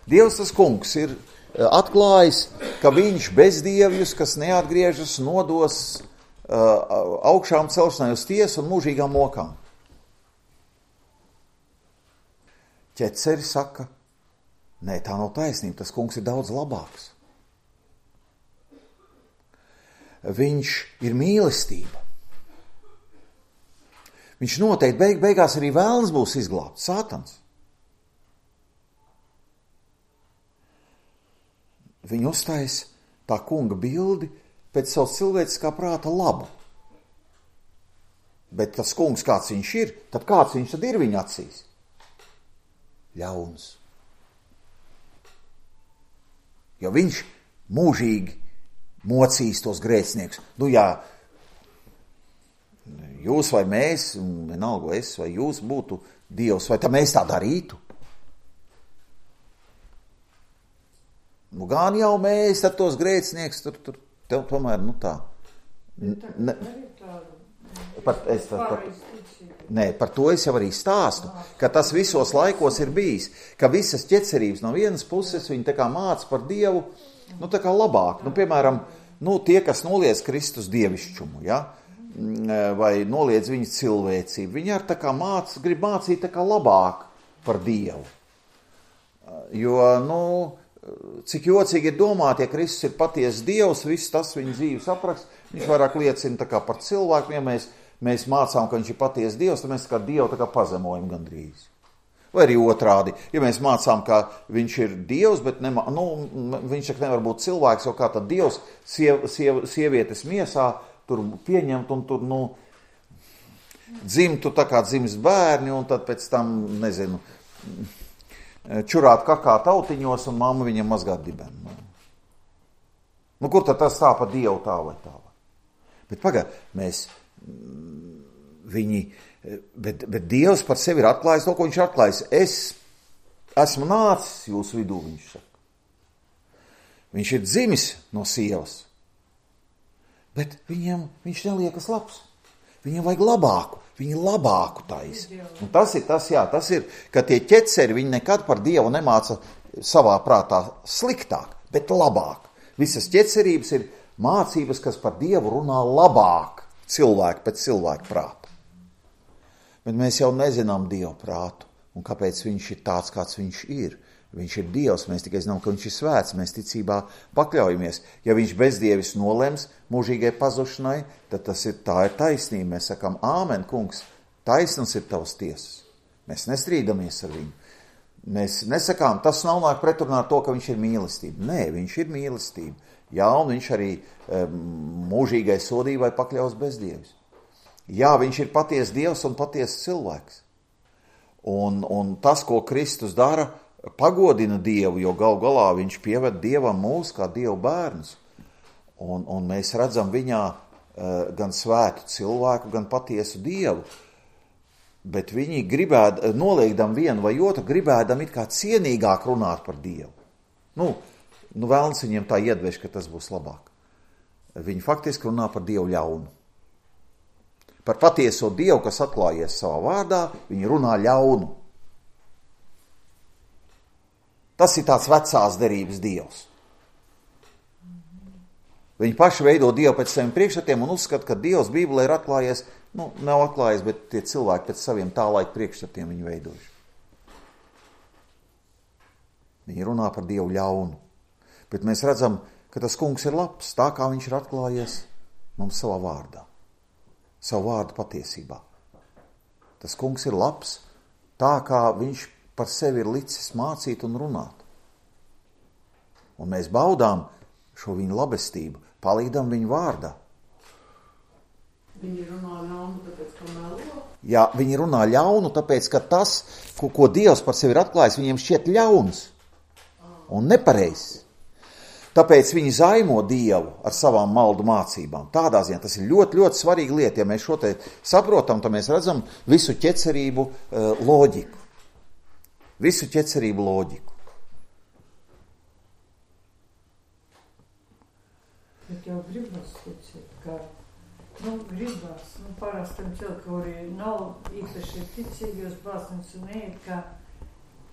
Dievs tas kungs ir atklājis, ka viņš bezdievjus, kas neatgriežas, nodos augšām celšanai uz tiesu un mūžīgām mokām. Ķeceri saka, nē, tā nav taisnība, tas kungs ir daudz labāks. Viņš ir mīlestība. Viņš noteikti beigās arī vēlns būs izglābts, Sātans. Viņi uztais tā kunga bildi pēc savas cilvēciskā prāta labu. Bet tas kungs, kāds viņš ir, tad kāds viņš tad ir viņa acīs? Ļauns. Jo viņš mūžīgi mocīs tos grēciniekus. Nu jā, jūs vai mēs, vienalga es vai jūs būtu Dievs, vai tā mēs tā darītu? Nu gan jau mēs tad tos grēcinieks tur tomēr, nu tā. Par to es jau arī stāstu, ka tas visos laikos ir bijis, ka visas ķecerības no vienas puses viņi tā kā māca par Dievu, nu tā kā labāk. Nu, piemēram, tie, kas noliedz Kristus dievišķumu, ja? Vai noliedz viņa cilvēcību, viņi ar tā kā grib mācīt tā kā labāk par Dievu. Jo, cik jocīgi ir domāt, ja Kristus ir patiesa Dievs, viss tas viņa dzīves apraksts, viņš vairāk liecina tā kā par cilvēku, ja mēs mācām, ka viņš ir patiesa Dievs, tad mēs tā kā Dievu tā kā pazemojam gandrīz. Vai arī otrādi, ja mēs mācām, ka viņš ir Dievs, bet viņš tak nevar būt cilvēks, jo kā tad Dievs sievietes miesā tur pieņemt un tur, dzimtu tā kā dzimst bērni un tad pēc tam, čurāt kakā tautiņos un mamma viņam mazgāt dibenu. Kur tad tas tā pa Dievu tā vai tā? Bet bet Dievs par sevi ir atklājis to, ko viņš ir atklājis. Es esmu nācis jūsu vidū, viņš saka. Viņš ir dzimis no sievas, bet viņš neliekas labs. Viņam vajag labāku. Viņi labāku taisa. Un tas ir, ka tie ķeceri, viņi nekad par Dievu nemāca savā prātā sliktāk, bet labāk. Visas ķecerības ir mācības, kas par Dievu runā labāk cilvēku pēc cilvēku prāta. Bet mēs jau nezinām Dievu prātu, un kāpēc viņš ir tāds, kāds viņš ir. Viņš ir Dievs, mēs tikai zinām, ka viņš ir svēts, mēs ticībā pakļaujamies. Ja viņš bezdievis nolems mūžīgai pazušanai, tad tā ir taisnība. Mēs sakām, āmen, kungs, taisnums ir tavas tiesas. Mēs nestrīdamies ar viņu. Mēs nesakām, tas nav nāk pretrunā ar to, ka viņš ir mīlestība. Nē, viņš ir mīlestība. Jā, un viņš arī mūžīgai sodībai pakļaus bezdievis. Jā, viņš ir patiesa Dievs un patiesa cilvēks. Un tas, ko Kristus dara, pagodina Dievu, jo gal galā viņš pieved Dievam mūs kā Dievu bērnus. Un mēs redzam viņā gan svētu cilvēku, gan patiesu Dievu. Bet viņi noliekdam vienu vai otru, gribēdam it kā cienīgāk runāt par Dievu. Vēlns viņiem tā iedvež, ka tas būs labāk. Viņi faktiski runā par Dievu ļaunu. Par patieso Dievu, kas atklājies savā vārdā, viņi runā ļaunu. Tas ir tāds vecās derības Dievs. Viņi paši veido Dievu pēc saviem priekšstatiem un uzskata, ka Dievs Bībelē ir atklājies, nav atklājies, bet tie cilvēki pēc saviem tā laika priekšstatiem viņu veidojuši. Viņi runā par Dievu ļaunu. Bet mēs redzam, ka tas kungs ir labs, tā kā viņš ir atklājies mums savā vārdā. Savu vārdu patiesībā. Tas kungs ir labs, tā kā viņš par sevi ir licis mācīt un runāt. Un mēs baudām šo viņa labestību, palīdam viņa vārdā. Viņi runā ļaunu, tāpēc, ka melo? Jā, viņi runā ļaunu, tāpēc, ka tas, ko Dievs par sevi ir atklājis, viņiem šķiet ļauns un nepareizs. Tāpēc viņi zaimo Dievu ar savām maldu mācībām. Tādā ziņā tas ir ļoti, ļoti svarīga lieta. Ja mēs šo te saprotam, tad mēs redzam visu ķecerību loģiku. Visu ķecerību loģiku. Bet jau gribas ticēt, ka, gribas, parastam cilvēki, kuri nav īpaši ticīgi uz baznīcu un neiet, ka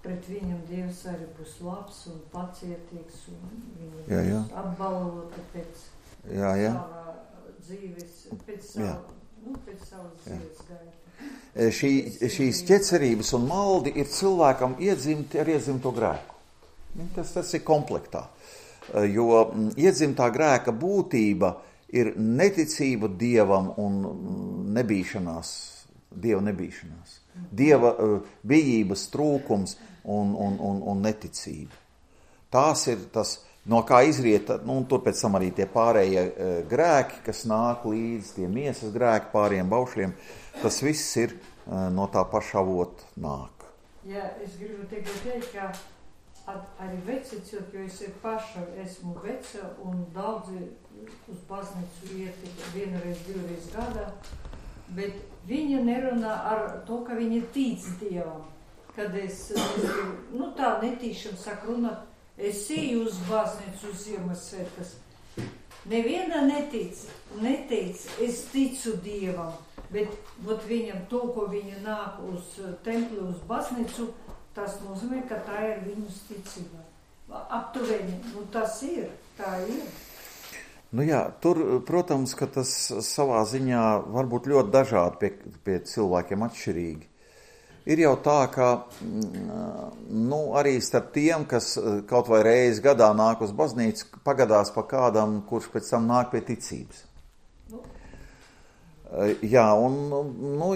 pret viņam Dievs arī būs labs un pacietīgs un viņi būs apbalvoti pēc sava dzīves, pēc savas dzīves gaita. Šīs ķecerības un maldi ir cilvēkam iedzimti ar iedzimto grēku. Tas ir komplektā. Jo iedzimtā grēka būtība ir neticība Dievam un nebīšanās, Dieva nebīšanās. Dieva bijības trūkums un neticība. Tās ir tas, no kā izriet, un tur pēc tam arī tie pārējie grēki, kas nāk līdz, tie miesas grēki pāriem baušļiem, tas viss ir no tā paša avota nāk. Jā, es gribu teikt, ka arī veci cilvēki, jo es paša esmu veca un daudzi uz baznīcu iet vienreiz, divreiz gadā, bet viņa nerunā ar to, ka viņa tic Dievam. Kad es tā netīšam saku runāt, es eju uz baznīcu uz Ziemassvētkas. Neviena neteic, es ticu Dievam, bet viņam to, ko viņa nāk uz templi, uz baznīcu, tas nozīmē, ka tā ir viņas ticība. Aptuveni, tas ir, tā ir. Tur, protams, ka tas savā ziņā var būt ļoti dažādi pie cilvēkiem atšķirīgi. Ir jau tā, ka arī starp tiem, kas kaut vai reizi gadā nāk uz baznīcu, pagadās pa kādam, kurš pēc tam nāk pie ticības.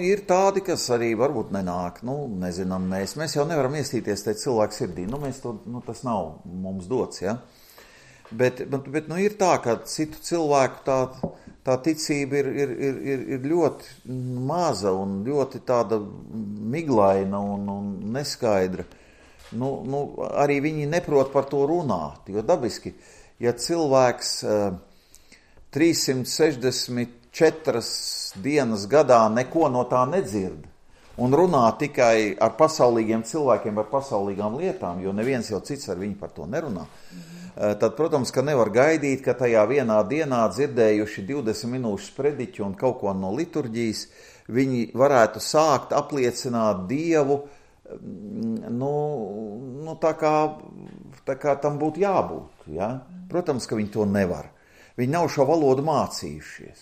Ir tādi, kas arī varbūt nenāk, nezinām mēs jau nevaram iestīties te cilvēku sirdī, tas nav mums dots, ja? Bet ir tā, ka citu cilvēku tā ticība ir ļoti maza un ļoti tāda miglaina un neskaidra. Arī viņi neprot par to runāt, jo dabiski, ja cilvēks 364 dienas gadā neko no tā nedzird un runā tikai ar pasaulīgiem cilvēkiem, ar pasaulīgām lietām, jo neviens jau cits ar viņu par to nerunā, tad, protams, ka nevar gaidīt, ka tajā vienā dienā dzirdējuši 20 minūšu sprediķu un kaut ko no liturģijas, viņi varētu sākt apliecināt Dievu, tā kā tam būtu jābūt. Ja? Protams, ka viņi to nevar. Viņi nav šo valodu mācījušies.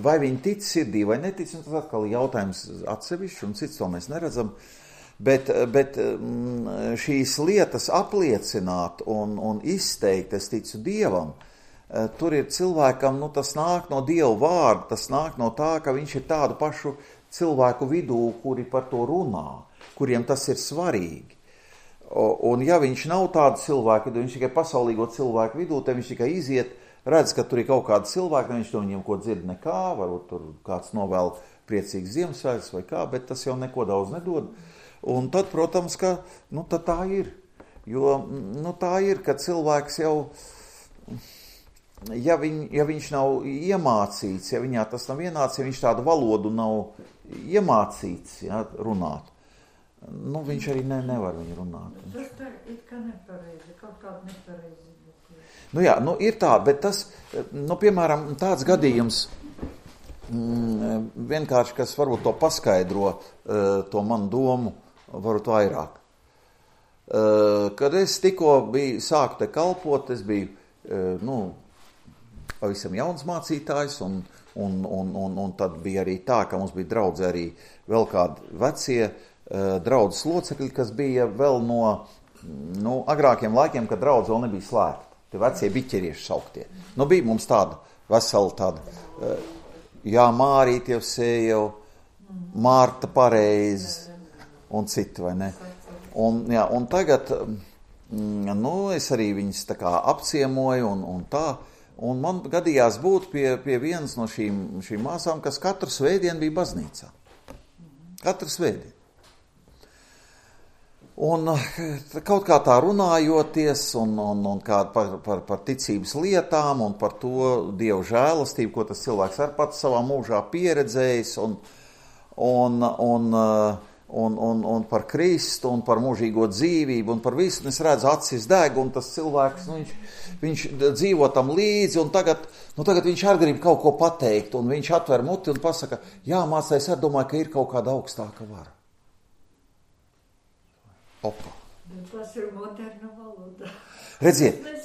Vai viņi tic sirdī vai netic, tas atkal ir jautājums atsevišķi, un cits to mēs neredzam. Bet šīs lietas apliecināt un izteikt, es ticu Dievam, tur ir cilvēkam, tas nāk no Dieva vārda, tas nāk no tā, ka viņš ir tādu pašu cilvēku vidū, kuri par to runā, kuriem tas ir svarīgi. Un ja viņš nav tādu cilvēku, tad viņš tikai pasaulīgo cilvēku vidū, tad viņš tikai iziet, redz, ka tur ir kaut kādi cilvēki, viņš no viņiem ko dzird nekā, varbūt tur kāds novēl priecīgs Ziemassvētkus vai kā, bet tas jau neko daudz nedod. Un tad, protams, ka tad tā ir. Jo tā ir, ka cilvēks jau, ja viņš nav iemācīts, ja viņā tas nav ienācis, ja viņš tādu valodu nav iemācīts runāt, viņš arī nevar viņu runāt. Tas tā ir kā nepareizi, kaut kāda nepareizi. Ir tā, bet tas, piemēram, tāds gadījums, vienkārši, kas varbūt to paskaidro, to manu domu, varbūt vairāk. Kad es tikko sāku te kalpot, es biju, pavisam jauns mācītājs, un tad bija arī tā, ka mums bija draudze arī vēl kādi vecie draudzes locekļi, kas bija vēl no agrākiem laikiem, kad draudze vēl nebija slēgta. Tie vecie biķerieši sauktie. Bija mums tāda vesela tāda, Mārīte jau sēja, Mārta pareizi un citi, vai ne? Un tagad, es arī viņas tā kā apciemoju un tā, un man gadījās būt pie vienas no šīm māsām, kas katru svētdienu bija baznīcā. Katru svētdienu. Un kaut kā tā runājoties un kā par ticības lietām un par to Dievu žēlastību, ko tas cilvēks ar pats savā mūžā pieredzējis un un par Kristu, un par mūžīgo dzīvību, un par visu, un es redzu acis deg, un tas cilvēks, viņš dzīvo tam līdzi, un tagad viņš arī grib kaut ko pateikt, un viņš atver muti un pasaka, jā, mācais, es domāju, ka ir kaut kāda augstāka vara. Opa. Tas ir moderna valoda. Redziet,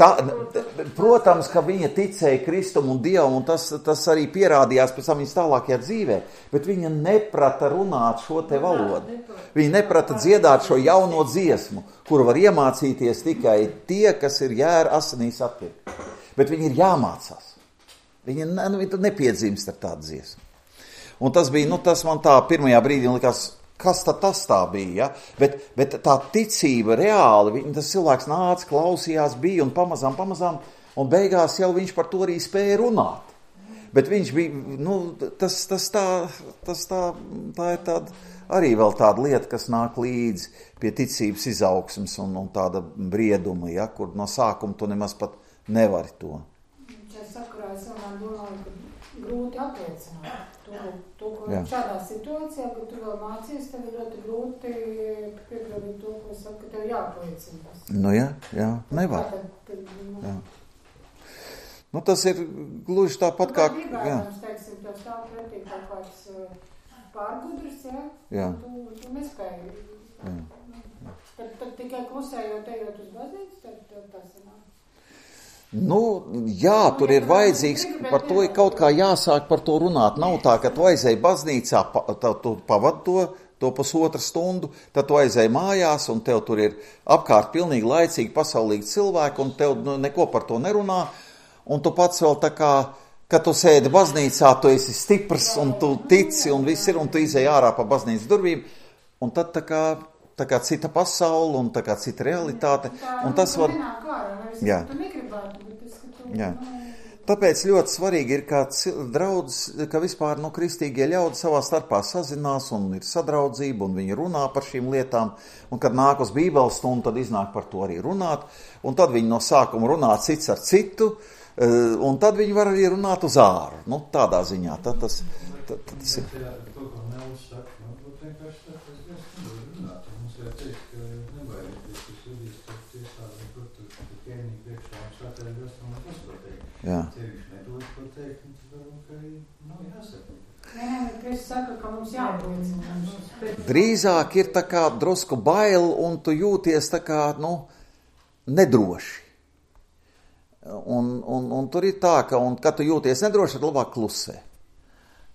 protams, ka viņa ticēja Kristum un Dievam, un tas arī pierādījās pēc tam viņas tālākajā dzīvē, bet viņa neprata runāt šo te valodu. Viņa neprata dziedāt šo jauno dziesmu, kuru var iemācīties tikai tie, kas ir jēra asinīs atpirkti. Bet viņi ir jāmācās. Viņa nepiedzimst ar tādu dziesmu. Un tas bija, tas man tā pirmajā brīdī likās, kas tad tas tā bija, ja? Bet tā ticība reāli, tas cilvēks nāca, klausījās, bija un pamazām, un beigās jau viņš par to arī spēja runāt. Bet viņš bija, tā ir tāda, arī vēl tāda lieta, kas nāk līdzi pie ticības izaugsmes un tāda brieduma, ja? Kur no sākuma tu nemaz pat nevari to. Es sakarā, es domāju, ka grūti apliecināt. To, ko šādā situācijā, kad tu vēl mācies, tev ir ļoti grūti piepildīt to, ko saka, ka tev jāapliecina. Jā, nevar. Jā. Tas ir gluži tāpat kā... Gribētams, teiksim, tev stāv pretī kaut kāds pārgudrs, jā. Tu nespēji. Tad tikai klusējot, ejot uz baznīcu, tad tas ir. Jā, tur ir vajadzīgs, par to ir kaut kā jāsāk par to runāt. Nav tā, ka tu aizēji baznīcā, tu pavadi to pusotru stundu, tad tu aizēji mājās, un tev tur ir apkārt pilnīgi laicīgi pasaulīgi cilvēki, un tev neko par to nerunā, un tu pats vēl tā kā, kad tu sēdi baznīcā, tu esi stiprs, un tu tici, un viss ir, un tu izēji ārā pa baznīcas durvīm, un tad tā kā cita pasaule, un tā kā cita realitāte, un tas var... Jā. Jā. Tāpēc ļoti svarīgi ir, ka vispār kristīgie ļaudi savā starpā sazinās un ir sadraudzība un viņi runā par šīm lietām, un kad nāk uz bībeles stundu, tad iznāk par to arī runāt, un tad viņi no sākuma runā cits ar citu, un tad viņi var arī runāt uz āru. Tādā ziņā. Tad tas ir. Jā. Drīzāk ir tā kā drusku bail, un tu jūties tā kā, nedroši. Un tur ir tā, ka, kad tu jūties nedroši, tad labāk klusē.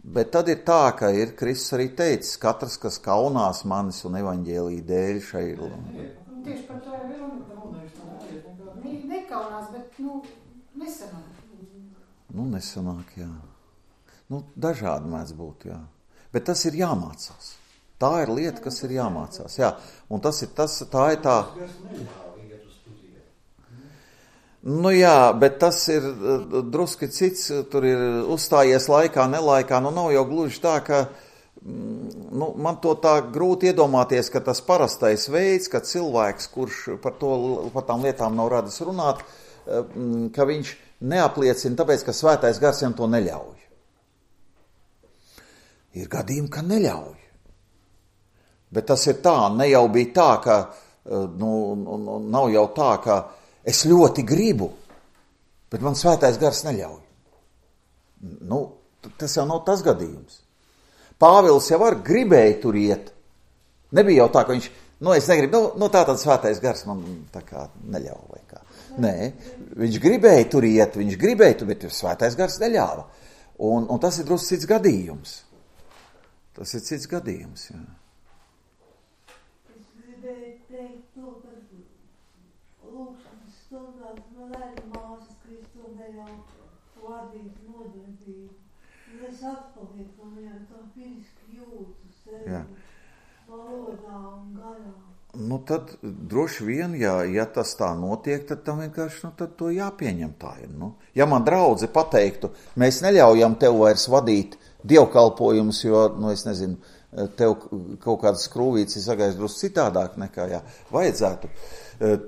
Bet tad ir tā, ka ir Kristus arī teicis, katrs, kas kaunās manis un evaņģēlija dēļ šai... Tieši par to ir nekaunās, bet, nesanāk. Nesanāk, jā. Dažādi mēdz būt, jā. Bet tas ir jāmācās. Tā ir lieta, kas ir jāmācās, jā. Un tā ir tā... Jā, bet tas ir druski cits, tur ir uzstājies laikā, nelaikā, nav jau gluži tā, ka... man to tā grūti iedomāties, ka tas parastais veids, ka cilvēks, kurš par tām lietām nav radis runāt, ka viņš neapliecina, tāpēc, ka svētais gars viņam to neļauj. Ir gadījumi, ka neļauj. Bet tas ir tā, ne jau bija tā, ka, nav jau tā, ka es ļoti gribu, bet man svētais gars neļauj. Tas jau nav tas gadījums. Pāvils jau gribēja tur iet. Nebija jau tā, ka viņš, es negribu, tā tad svētais gars man tā kā neļauj vai kā. Nē, viņš gribēja tur iet, bet svētais gars neļāva. Un tas ir drusku cits gadījums. Tas ir cits gadījums, jā. Es gribēju teikt to, ka lūkšanas stundās man arī māsas Kristūnējā vadīt nodarbību. Es atpalieku, un jau tā fiziski jūtu sevi valodā un garā. Tad droši vien, ja tas tā notiek, tad tam vienkārši, tad to jāpieņem tā ir. Ja man draudze pateiktu, mēs neļaujam tev vairs vadīt dievkalpojumus, jo, es nezinu, tev kaut kādas skrūvītes ir sagājis drusku citādāk nekā, vajadzētu,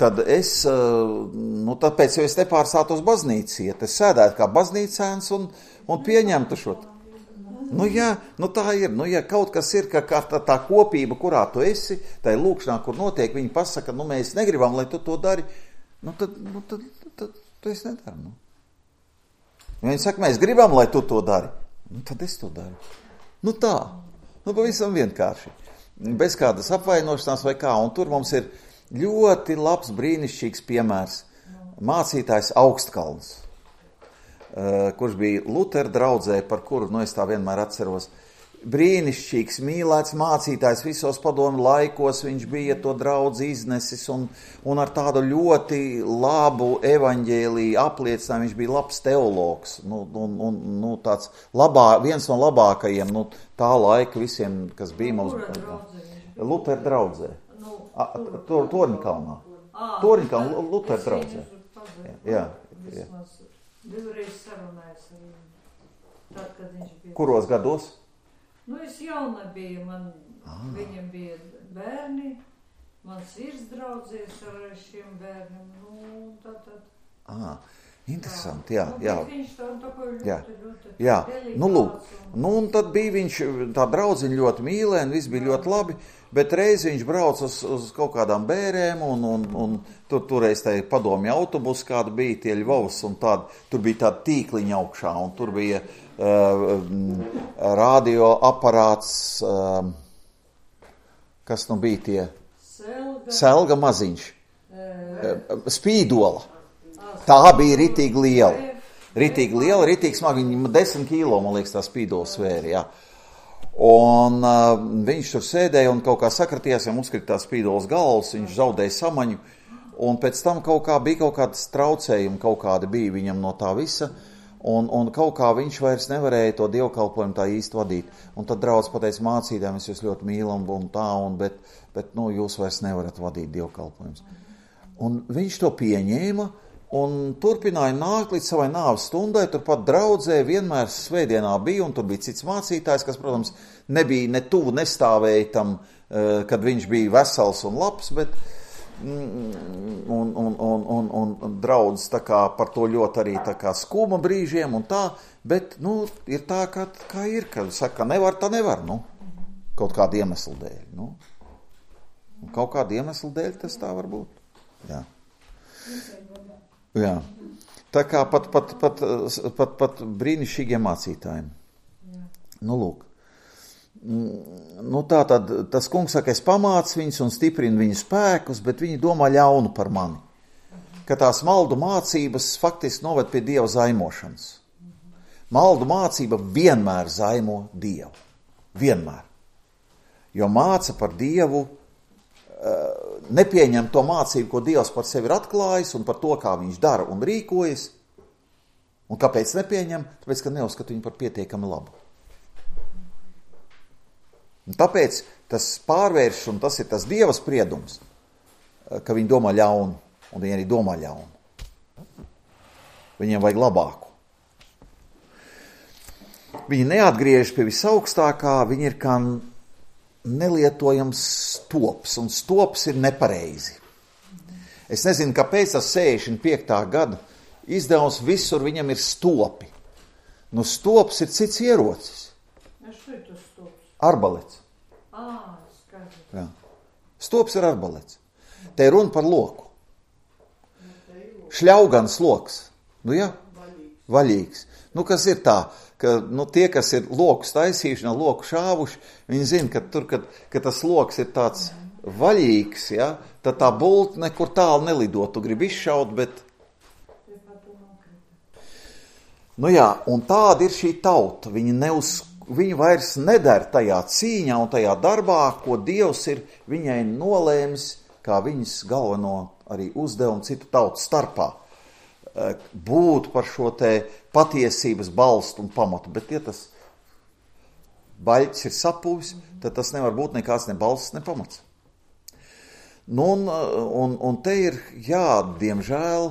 tad es, tāpēc jau es nepārstātos baznīcu iet, es sēdētu kā baznīcēns un pieņemtu šo. Nu jā, nu tā ir. Nu ja kaut kas ir, ka tā kopība, kurā tu esi, tā ir lūkšanā, kur notiek, viņi pasaka, nu mēs negribam, lai tu to dari, nu tad tu esi nedari. Nu. Viņi saka, mēs gribam, lai tu to dari, nu tad es to daru. Nu tā, nu pavisam vienkārši. Bez kādas apvainošanās vai kā, un tur mums ir ļoti labs, brīnišķīgs piemērs. Mācītājs Augstkalns, kurš bija Lutera draudzē, par kuru, nu es tā vienmēr atceros, brīnišķīgs, mīlēts mācītājs visos padomu laikos, viņš bija to draudzi iznesis un ar tādu ļoti labu evaņģēliju apliecinājumu, viņš bija labs teologs, nu tāds viens no labākajiem, nu tā laika visiem, kas bija mums. Lutera draudzē. Torņkalnā. Torņkalnā, Lutera draudzē. Jā. Divreiz sarunājos ar viņu, tad, kad viņš bija. Kuros gados? Nu, es jauna biju, viņam bija bērni, mans vīrs draudzies ar šiem bērniem, nu, tad. Interesanti, jā. Viņš tā kā ļoti delikāts. Nu, lūk, un tad bija viņš, tā draudziņa ļoti mīlēna, viss bija ļoti labi, bet reiz viņš brauc uz kaut kādām bērēm, un turreiz tā padomju autobus kāda bija, tie Ļvovs, un tur bija tāda tīkliņa augšā, un tur bija radioaparāts, kas nu bija tie? Selga maziņš. Spīdola. Tā bija ritīgi liela. Ritīgi smagi, viņa 10 kilo, man liekas, tā spīdola svēri, jā. Un viņš tur sēdēja un kaut kā sakratījās, ja uzkrita tā spīdolas galvas, viņš zaudēja samaņu, un pēc tam bija kaut kādas traucējumi, kaut kādi bija viņam no tā visa, un kaut kā viņš vairs nevarēja to dievkalpojumu tā īsti vadīt. Un tad draudz pateica mācītājiem, es jūs ļoti mīlam un tā, bet nu, jūs vairs nevarat vadīt dievkalpojumus. Un viņš to pieņēma, un turpināja nākt līdz savai nāves stundai, turpat draudzē vienmēr svētdienā bija, un tur bija cits mācītājs, kas, protams, nebija ne tuvu nestāvēja tam, kad viņš bija vesels un labs, bet un draudz tā kā par to ļoti arī tā kā skuma brīžiem un tā, bet, nu, ir tā, kā ir, kad saka, nevar, tā nevar, nu, kaut kādu iemeslu dēļ, nu. Kaut kādu iemeslu dēļ tas tā var būt, jā. Jā, tā kā pat brīnišķīgiem mācītājiem. Nu, lūk. Nu, tā tad tas kungs saka, es pamācu viņus un stiprinu viņu spēkus, bet viņi domā ļaunu par mani. Ka tās maldu mācības faktiski noved pie Dieva zaimošanas. Maldu mācība vienmēr zaimo Dievu. Vienmēr. Jo māca par Dievu, nepieņem to mācību, ko Dievs par sevi ir atklājis un par to, kā viņš dara un rīkojas. Un kāpēc nepieņem? Tāpēc, ka neuzskata viņu par pietiekami labu. Un tāpēc tas pārvērš, un tas ir tas Dieva spriedums, ka viņi domā ļaunu, un viņi arī domā ļaunu. Viņiem vajag labāku. Viņi neatgriež pie visaugstākā, viņi ir kā nelietojams stops, un stops ir nepareizi. Es nezinu, kāpēc tas 65. gada izdevums visur viņam ir stopi. Nu, stops ir cits ierocis. Arbalets. Jā. Stops ir arbalets. Te ir runa par loku. Šļaugans loks. Nu jā, vaļīgs. Nu, kas ir tā, ka nu, tie, kas ir lokus taisījuši, no loku šāvuši, viņi zina, ka tur, kad tas loks ir tāds vaļīgs, ja, tad tā bulta nekur tālu nelido. Tu gribi izšaut, bet... Nu jā, un tāda ir šī tauta. Viņi vairs nedara tajā cīņā un tajā darbā, ko Dievs ir viņai nolēmis, kā viņas galveno arī uzdevumu citu tautu starpā. Būt par šo te patiesības balstu un pamatu, bet ja tas baļķis ir sapūvis, tad tas nevar būt nekāds ne balsts, ne pamats. Nu, un te ir, jā, diemžēl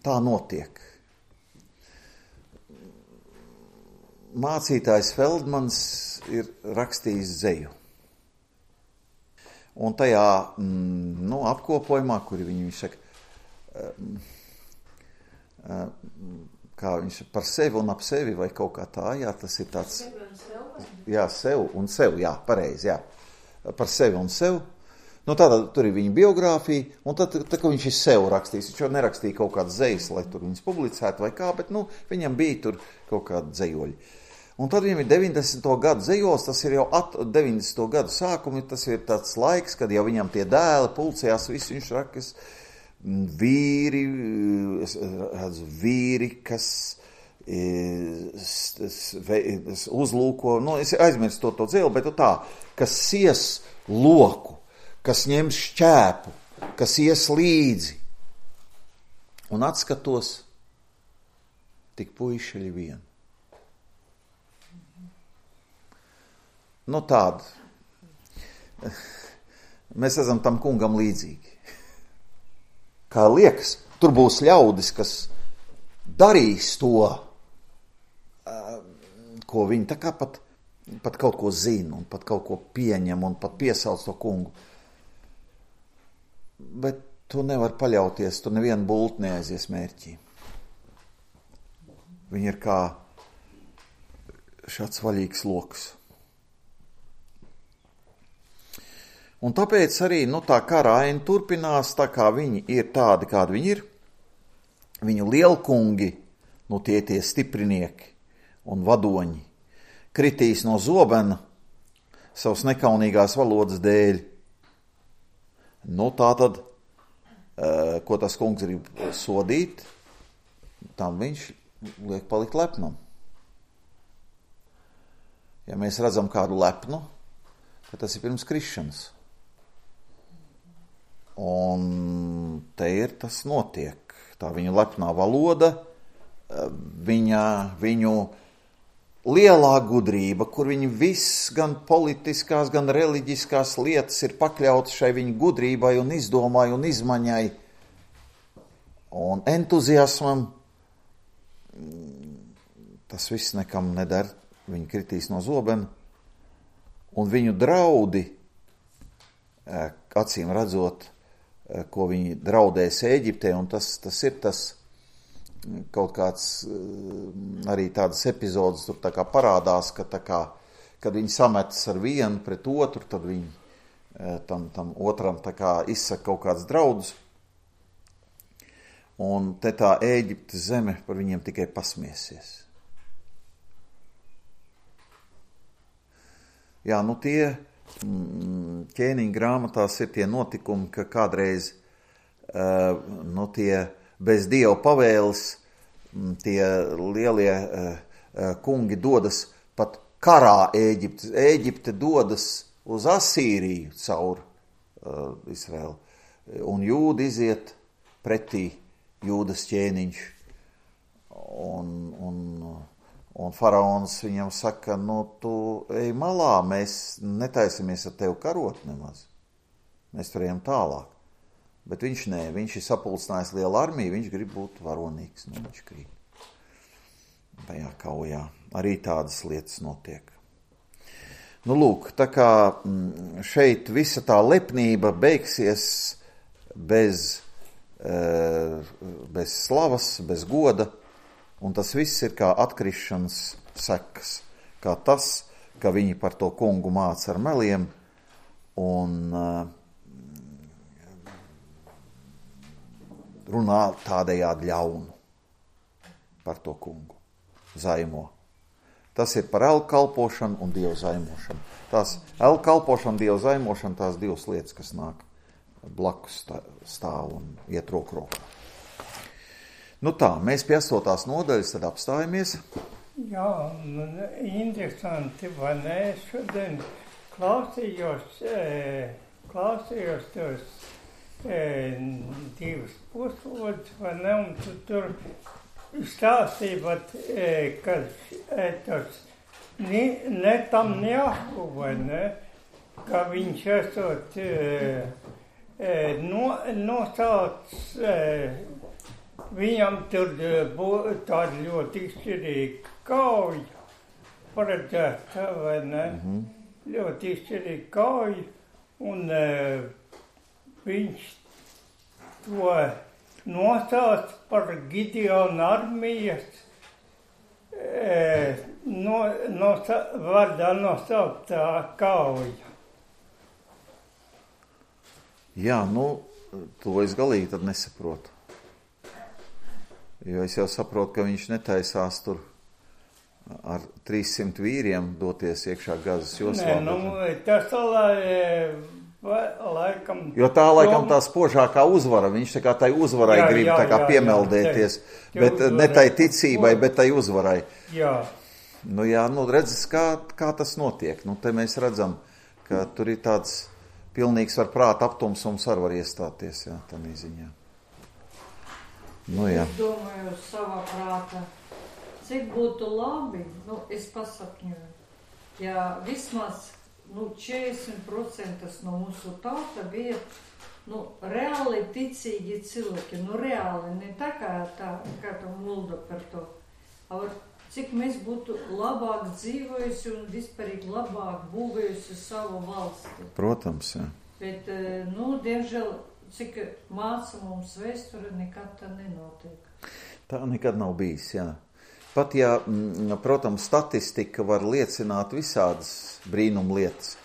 tā notiek. Mācītājs Feldmans ir rakstījis dzeju. Un tajā, nu, apkopojumā, kuri viņš saka, kā viņš par sevi un ap sevi vai kaut kā tā, jā, tas ir tāds, jā, sev un sev, jā, pareizi, jā, par sevi un sev. Nu, tātad tur ir viņa biogrāfija, un tad kad viņš ir sev rakstījis, viņš jau nerakstīja kaut kādas zejas, lai tur viņas publicētu vai kā, bet, viņam bija tur kaut kādi zejoļi. Un tad viņam ir 90. gadu zejols, tas ir jau 90. gadu sākumi, tas ir tāds laiks, kad jau viņam tie dēli pulcējās, visu viņš rakas, vīri, kas uzlūko, es aizmirstu to dzēlu, bet tā, kas sies loku, kas ņem šķēpu, kas ies līdzi. Un atskatos, tik puišeļi vien. Tāda. Mēs esam tam kungam līdzīgi. Kā liekas, tur būs ļaudis, kas darīs to, ko viņi tā kā pat kaut ko zina, un pat kaut ko pieņem, un pat piesauc to kungu. Bet tu nevar paļauties, tu nevienu bultu neaizies mērķī. Viņi ir kā šāds vaļīgs loks. Un tāpēc arī, tā kara aina turpinās, tā kā viņi ir tādi, kādi viņi ir. Viņu lielkungi, tie stiprinieki un vadoņi, kritīs no zobena savas nekaunīgās valodas dēļ. Tātad, ko tas kungs grib sodīt, tam viņš liek palikt lepnam. Ja mēs redzam kādu lepnu, tad tas ir pirms krišanas. Un te ir tas notiek. Tā viņa lepnā valoda, viņu lielā gudrība, kur viņi viss, gan politiskās, gan reliģiskās lietas ir pakļautas šai viņa gudrībai un izdomai un izmaņai un entuziasmam. Tas viss nekam neder, viņi kritīs no zobena. Un viņu draudi, acīm redzot, ko viņi draudēs Ēģiptē, un tas ir tas kaut kāds, arī tādas epizodes tur tā kā parādās, ka tā kā, kad viņi sametas ar vienu pret otru, tad viņi tam otram tā kā izsaka kaut kāds draudus, un te tā Ēģiptes zeme par viņiem tikai pasmiesies. Jā, tie ķēniņa grāmatās ir tie notikumi, ka kādreiz tie bez Dieva pavēles tie lielie kungi dodas pat karā Ēģipte. Ēģipte dodas uz Asīriju caur Izraelu, un Jūda iziet pretī Jūdas ķēniņš. Un faraons viņam saka, tu ej malā, mēs netaisamies ar tevi karot nemaz. Mēs tur ejam tālāk. Bet viņš viņš ir sapulcinājis lielu armiju, viņš grib būt varonīgs, viņš grib. Tajā kaujā arī tādas lietas notiek. Lūk, tā kā šeit visa tā lepnība beigsies bez slavas, bez goda, un tas viss ir kā atkrišanas sekas, kā tas, ka viņi par to kungu māca ar meliem un runā tādējādi ļaunu par to kungu, zaimo. Tas ir par elkalpošanu un dievu zaimošanu. Tās elkalpošana, dievu zaimošana, tās divas lietas, kas nāk blakus stāv un iet roku rokā. Tā, mēs pie 8. nodaļas tad apstājamies. Jā, interesanti, vai ne? Šodien klausījos tos divas puslodus, vai ne? Un tu tur stāstīja, ka tas Netanjahu, vai ne? Ka viņš esot nosauc viņam tur tāda ļoti izšķirīga kauja paredzēta, vai ne? Ļoti izšķirīga kauja, un viņš to nosauc par Gideona armijas Vārdā nosauktā kauja. Jā, to es galīgi tad nesaprotu. Jo es jau saprotu, ka viņš netaisās tur ar 300 vīriem doties iekšā Gazas joslā. Tas laikam... Jo tā laikam tā spožākā uzvara, viņš tā kā tai uzvarai grib tā kā piemeldēties, bet ne tai ticībai, bet tai uzvarai. Jā. Redzes, kā tas notiek. Te mēs redzam, ka tur ir tāds pilnīgs ar prāta aptumsums var iestāties, jā, tādā ziņā. Es domāju savā prātā, cik būtu labi, es pasapņoju, ja vismaz 40% no mūsu tauta bija reāli ticīgi cilvēki, reāli, ne tā kā tā mulda par to. Cik mēs būtu labāk dzīvojusi un vispārīgi labāk būvējusi savu valsti. Protams, jā. Bet, diemžēl, cik māca mums vēsture, nekad tā nenotiek. Tā nekad nav bijis, jā. Pat ja, protams, statistika var liecināt visādas brīnumlietas.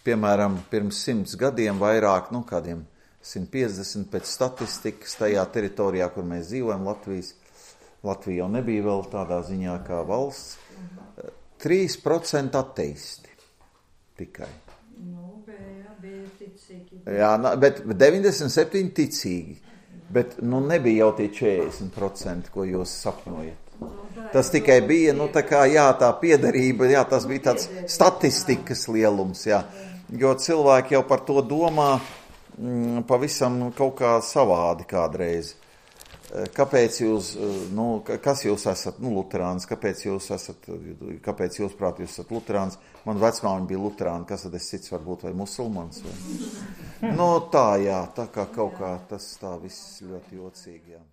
Piemēram, pirms 100 gadiem vairāk, kādiem 150 pēc statistikas tajā teritorijā, kur mēs dzīvojam, Latvija jau nebija vēl tādā ziņā kā valsts, 3% ateisti tikai. Bija ticīgi. Jā, bet 97 ticīgi, bet nebija jau tie 40%, ko jūs sapņojat. Tas tikai bija, tā piederība, tas bija tāds statistikas lielums, jā. Jo cilvēki jau par to domā pavisam kaut kā savādi kādreiz. Kāpēc jūs, kas jūs esat, luterāns, kāpēc jūs prāt, jūs esat luterāns? Man vecmāmiņa bija luterāna, kas tad es cits varbūt, vai musulmans? Vai? Tā kā kaut kā tas tā viss ļoti jocīgi, jā.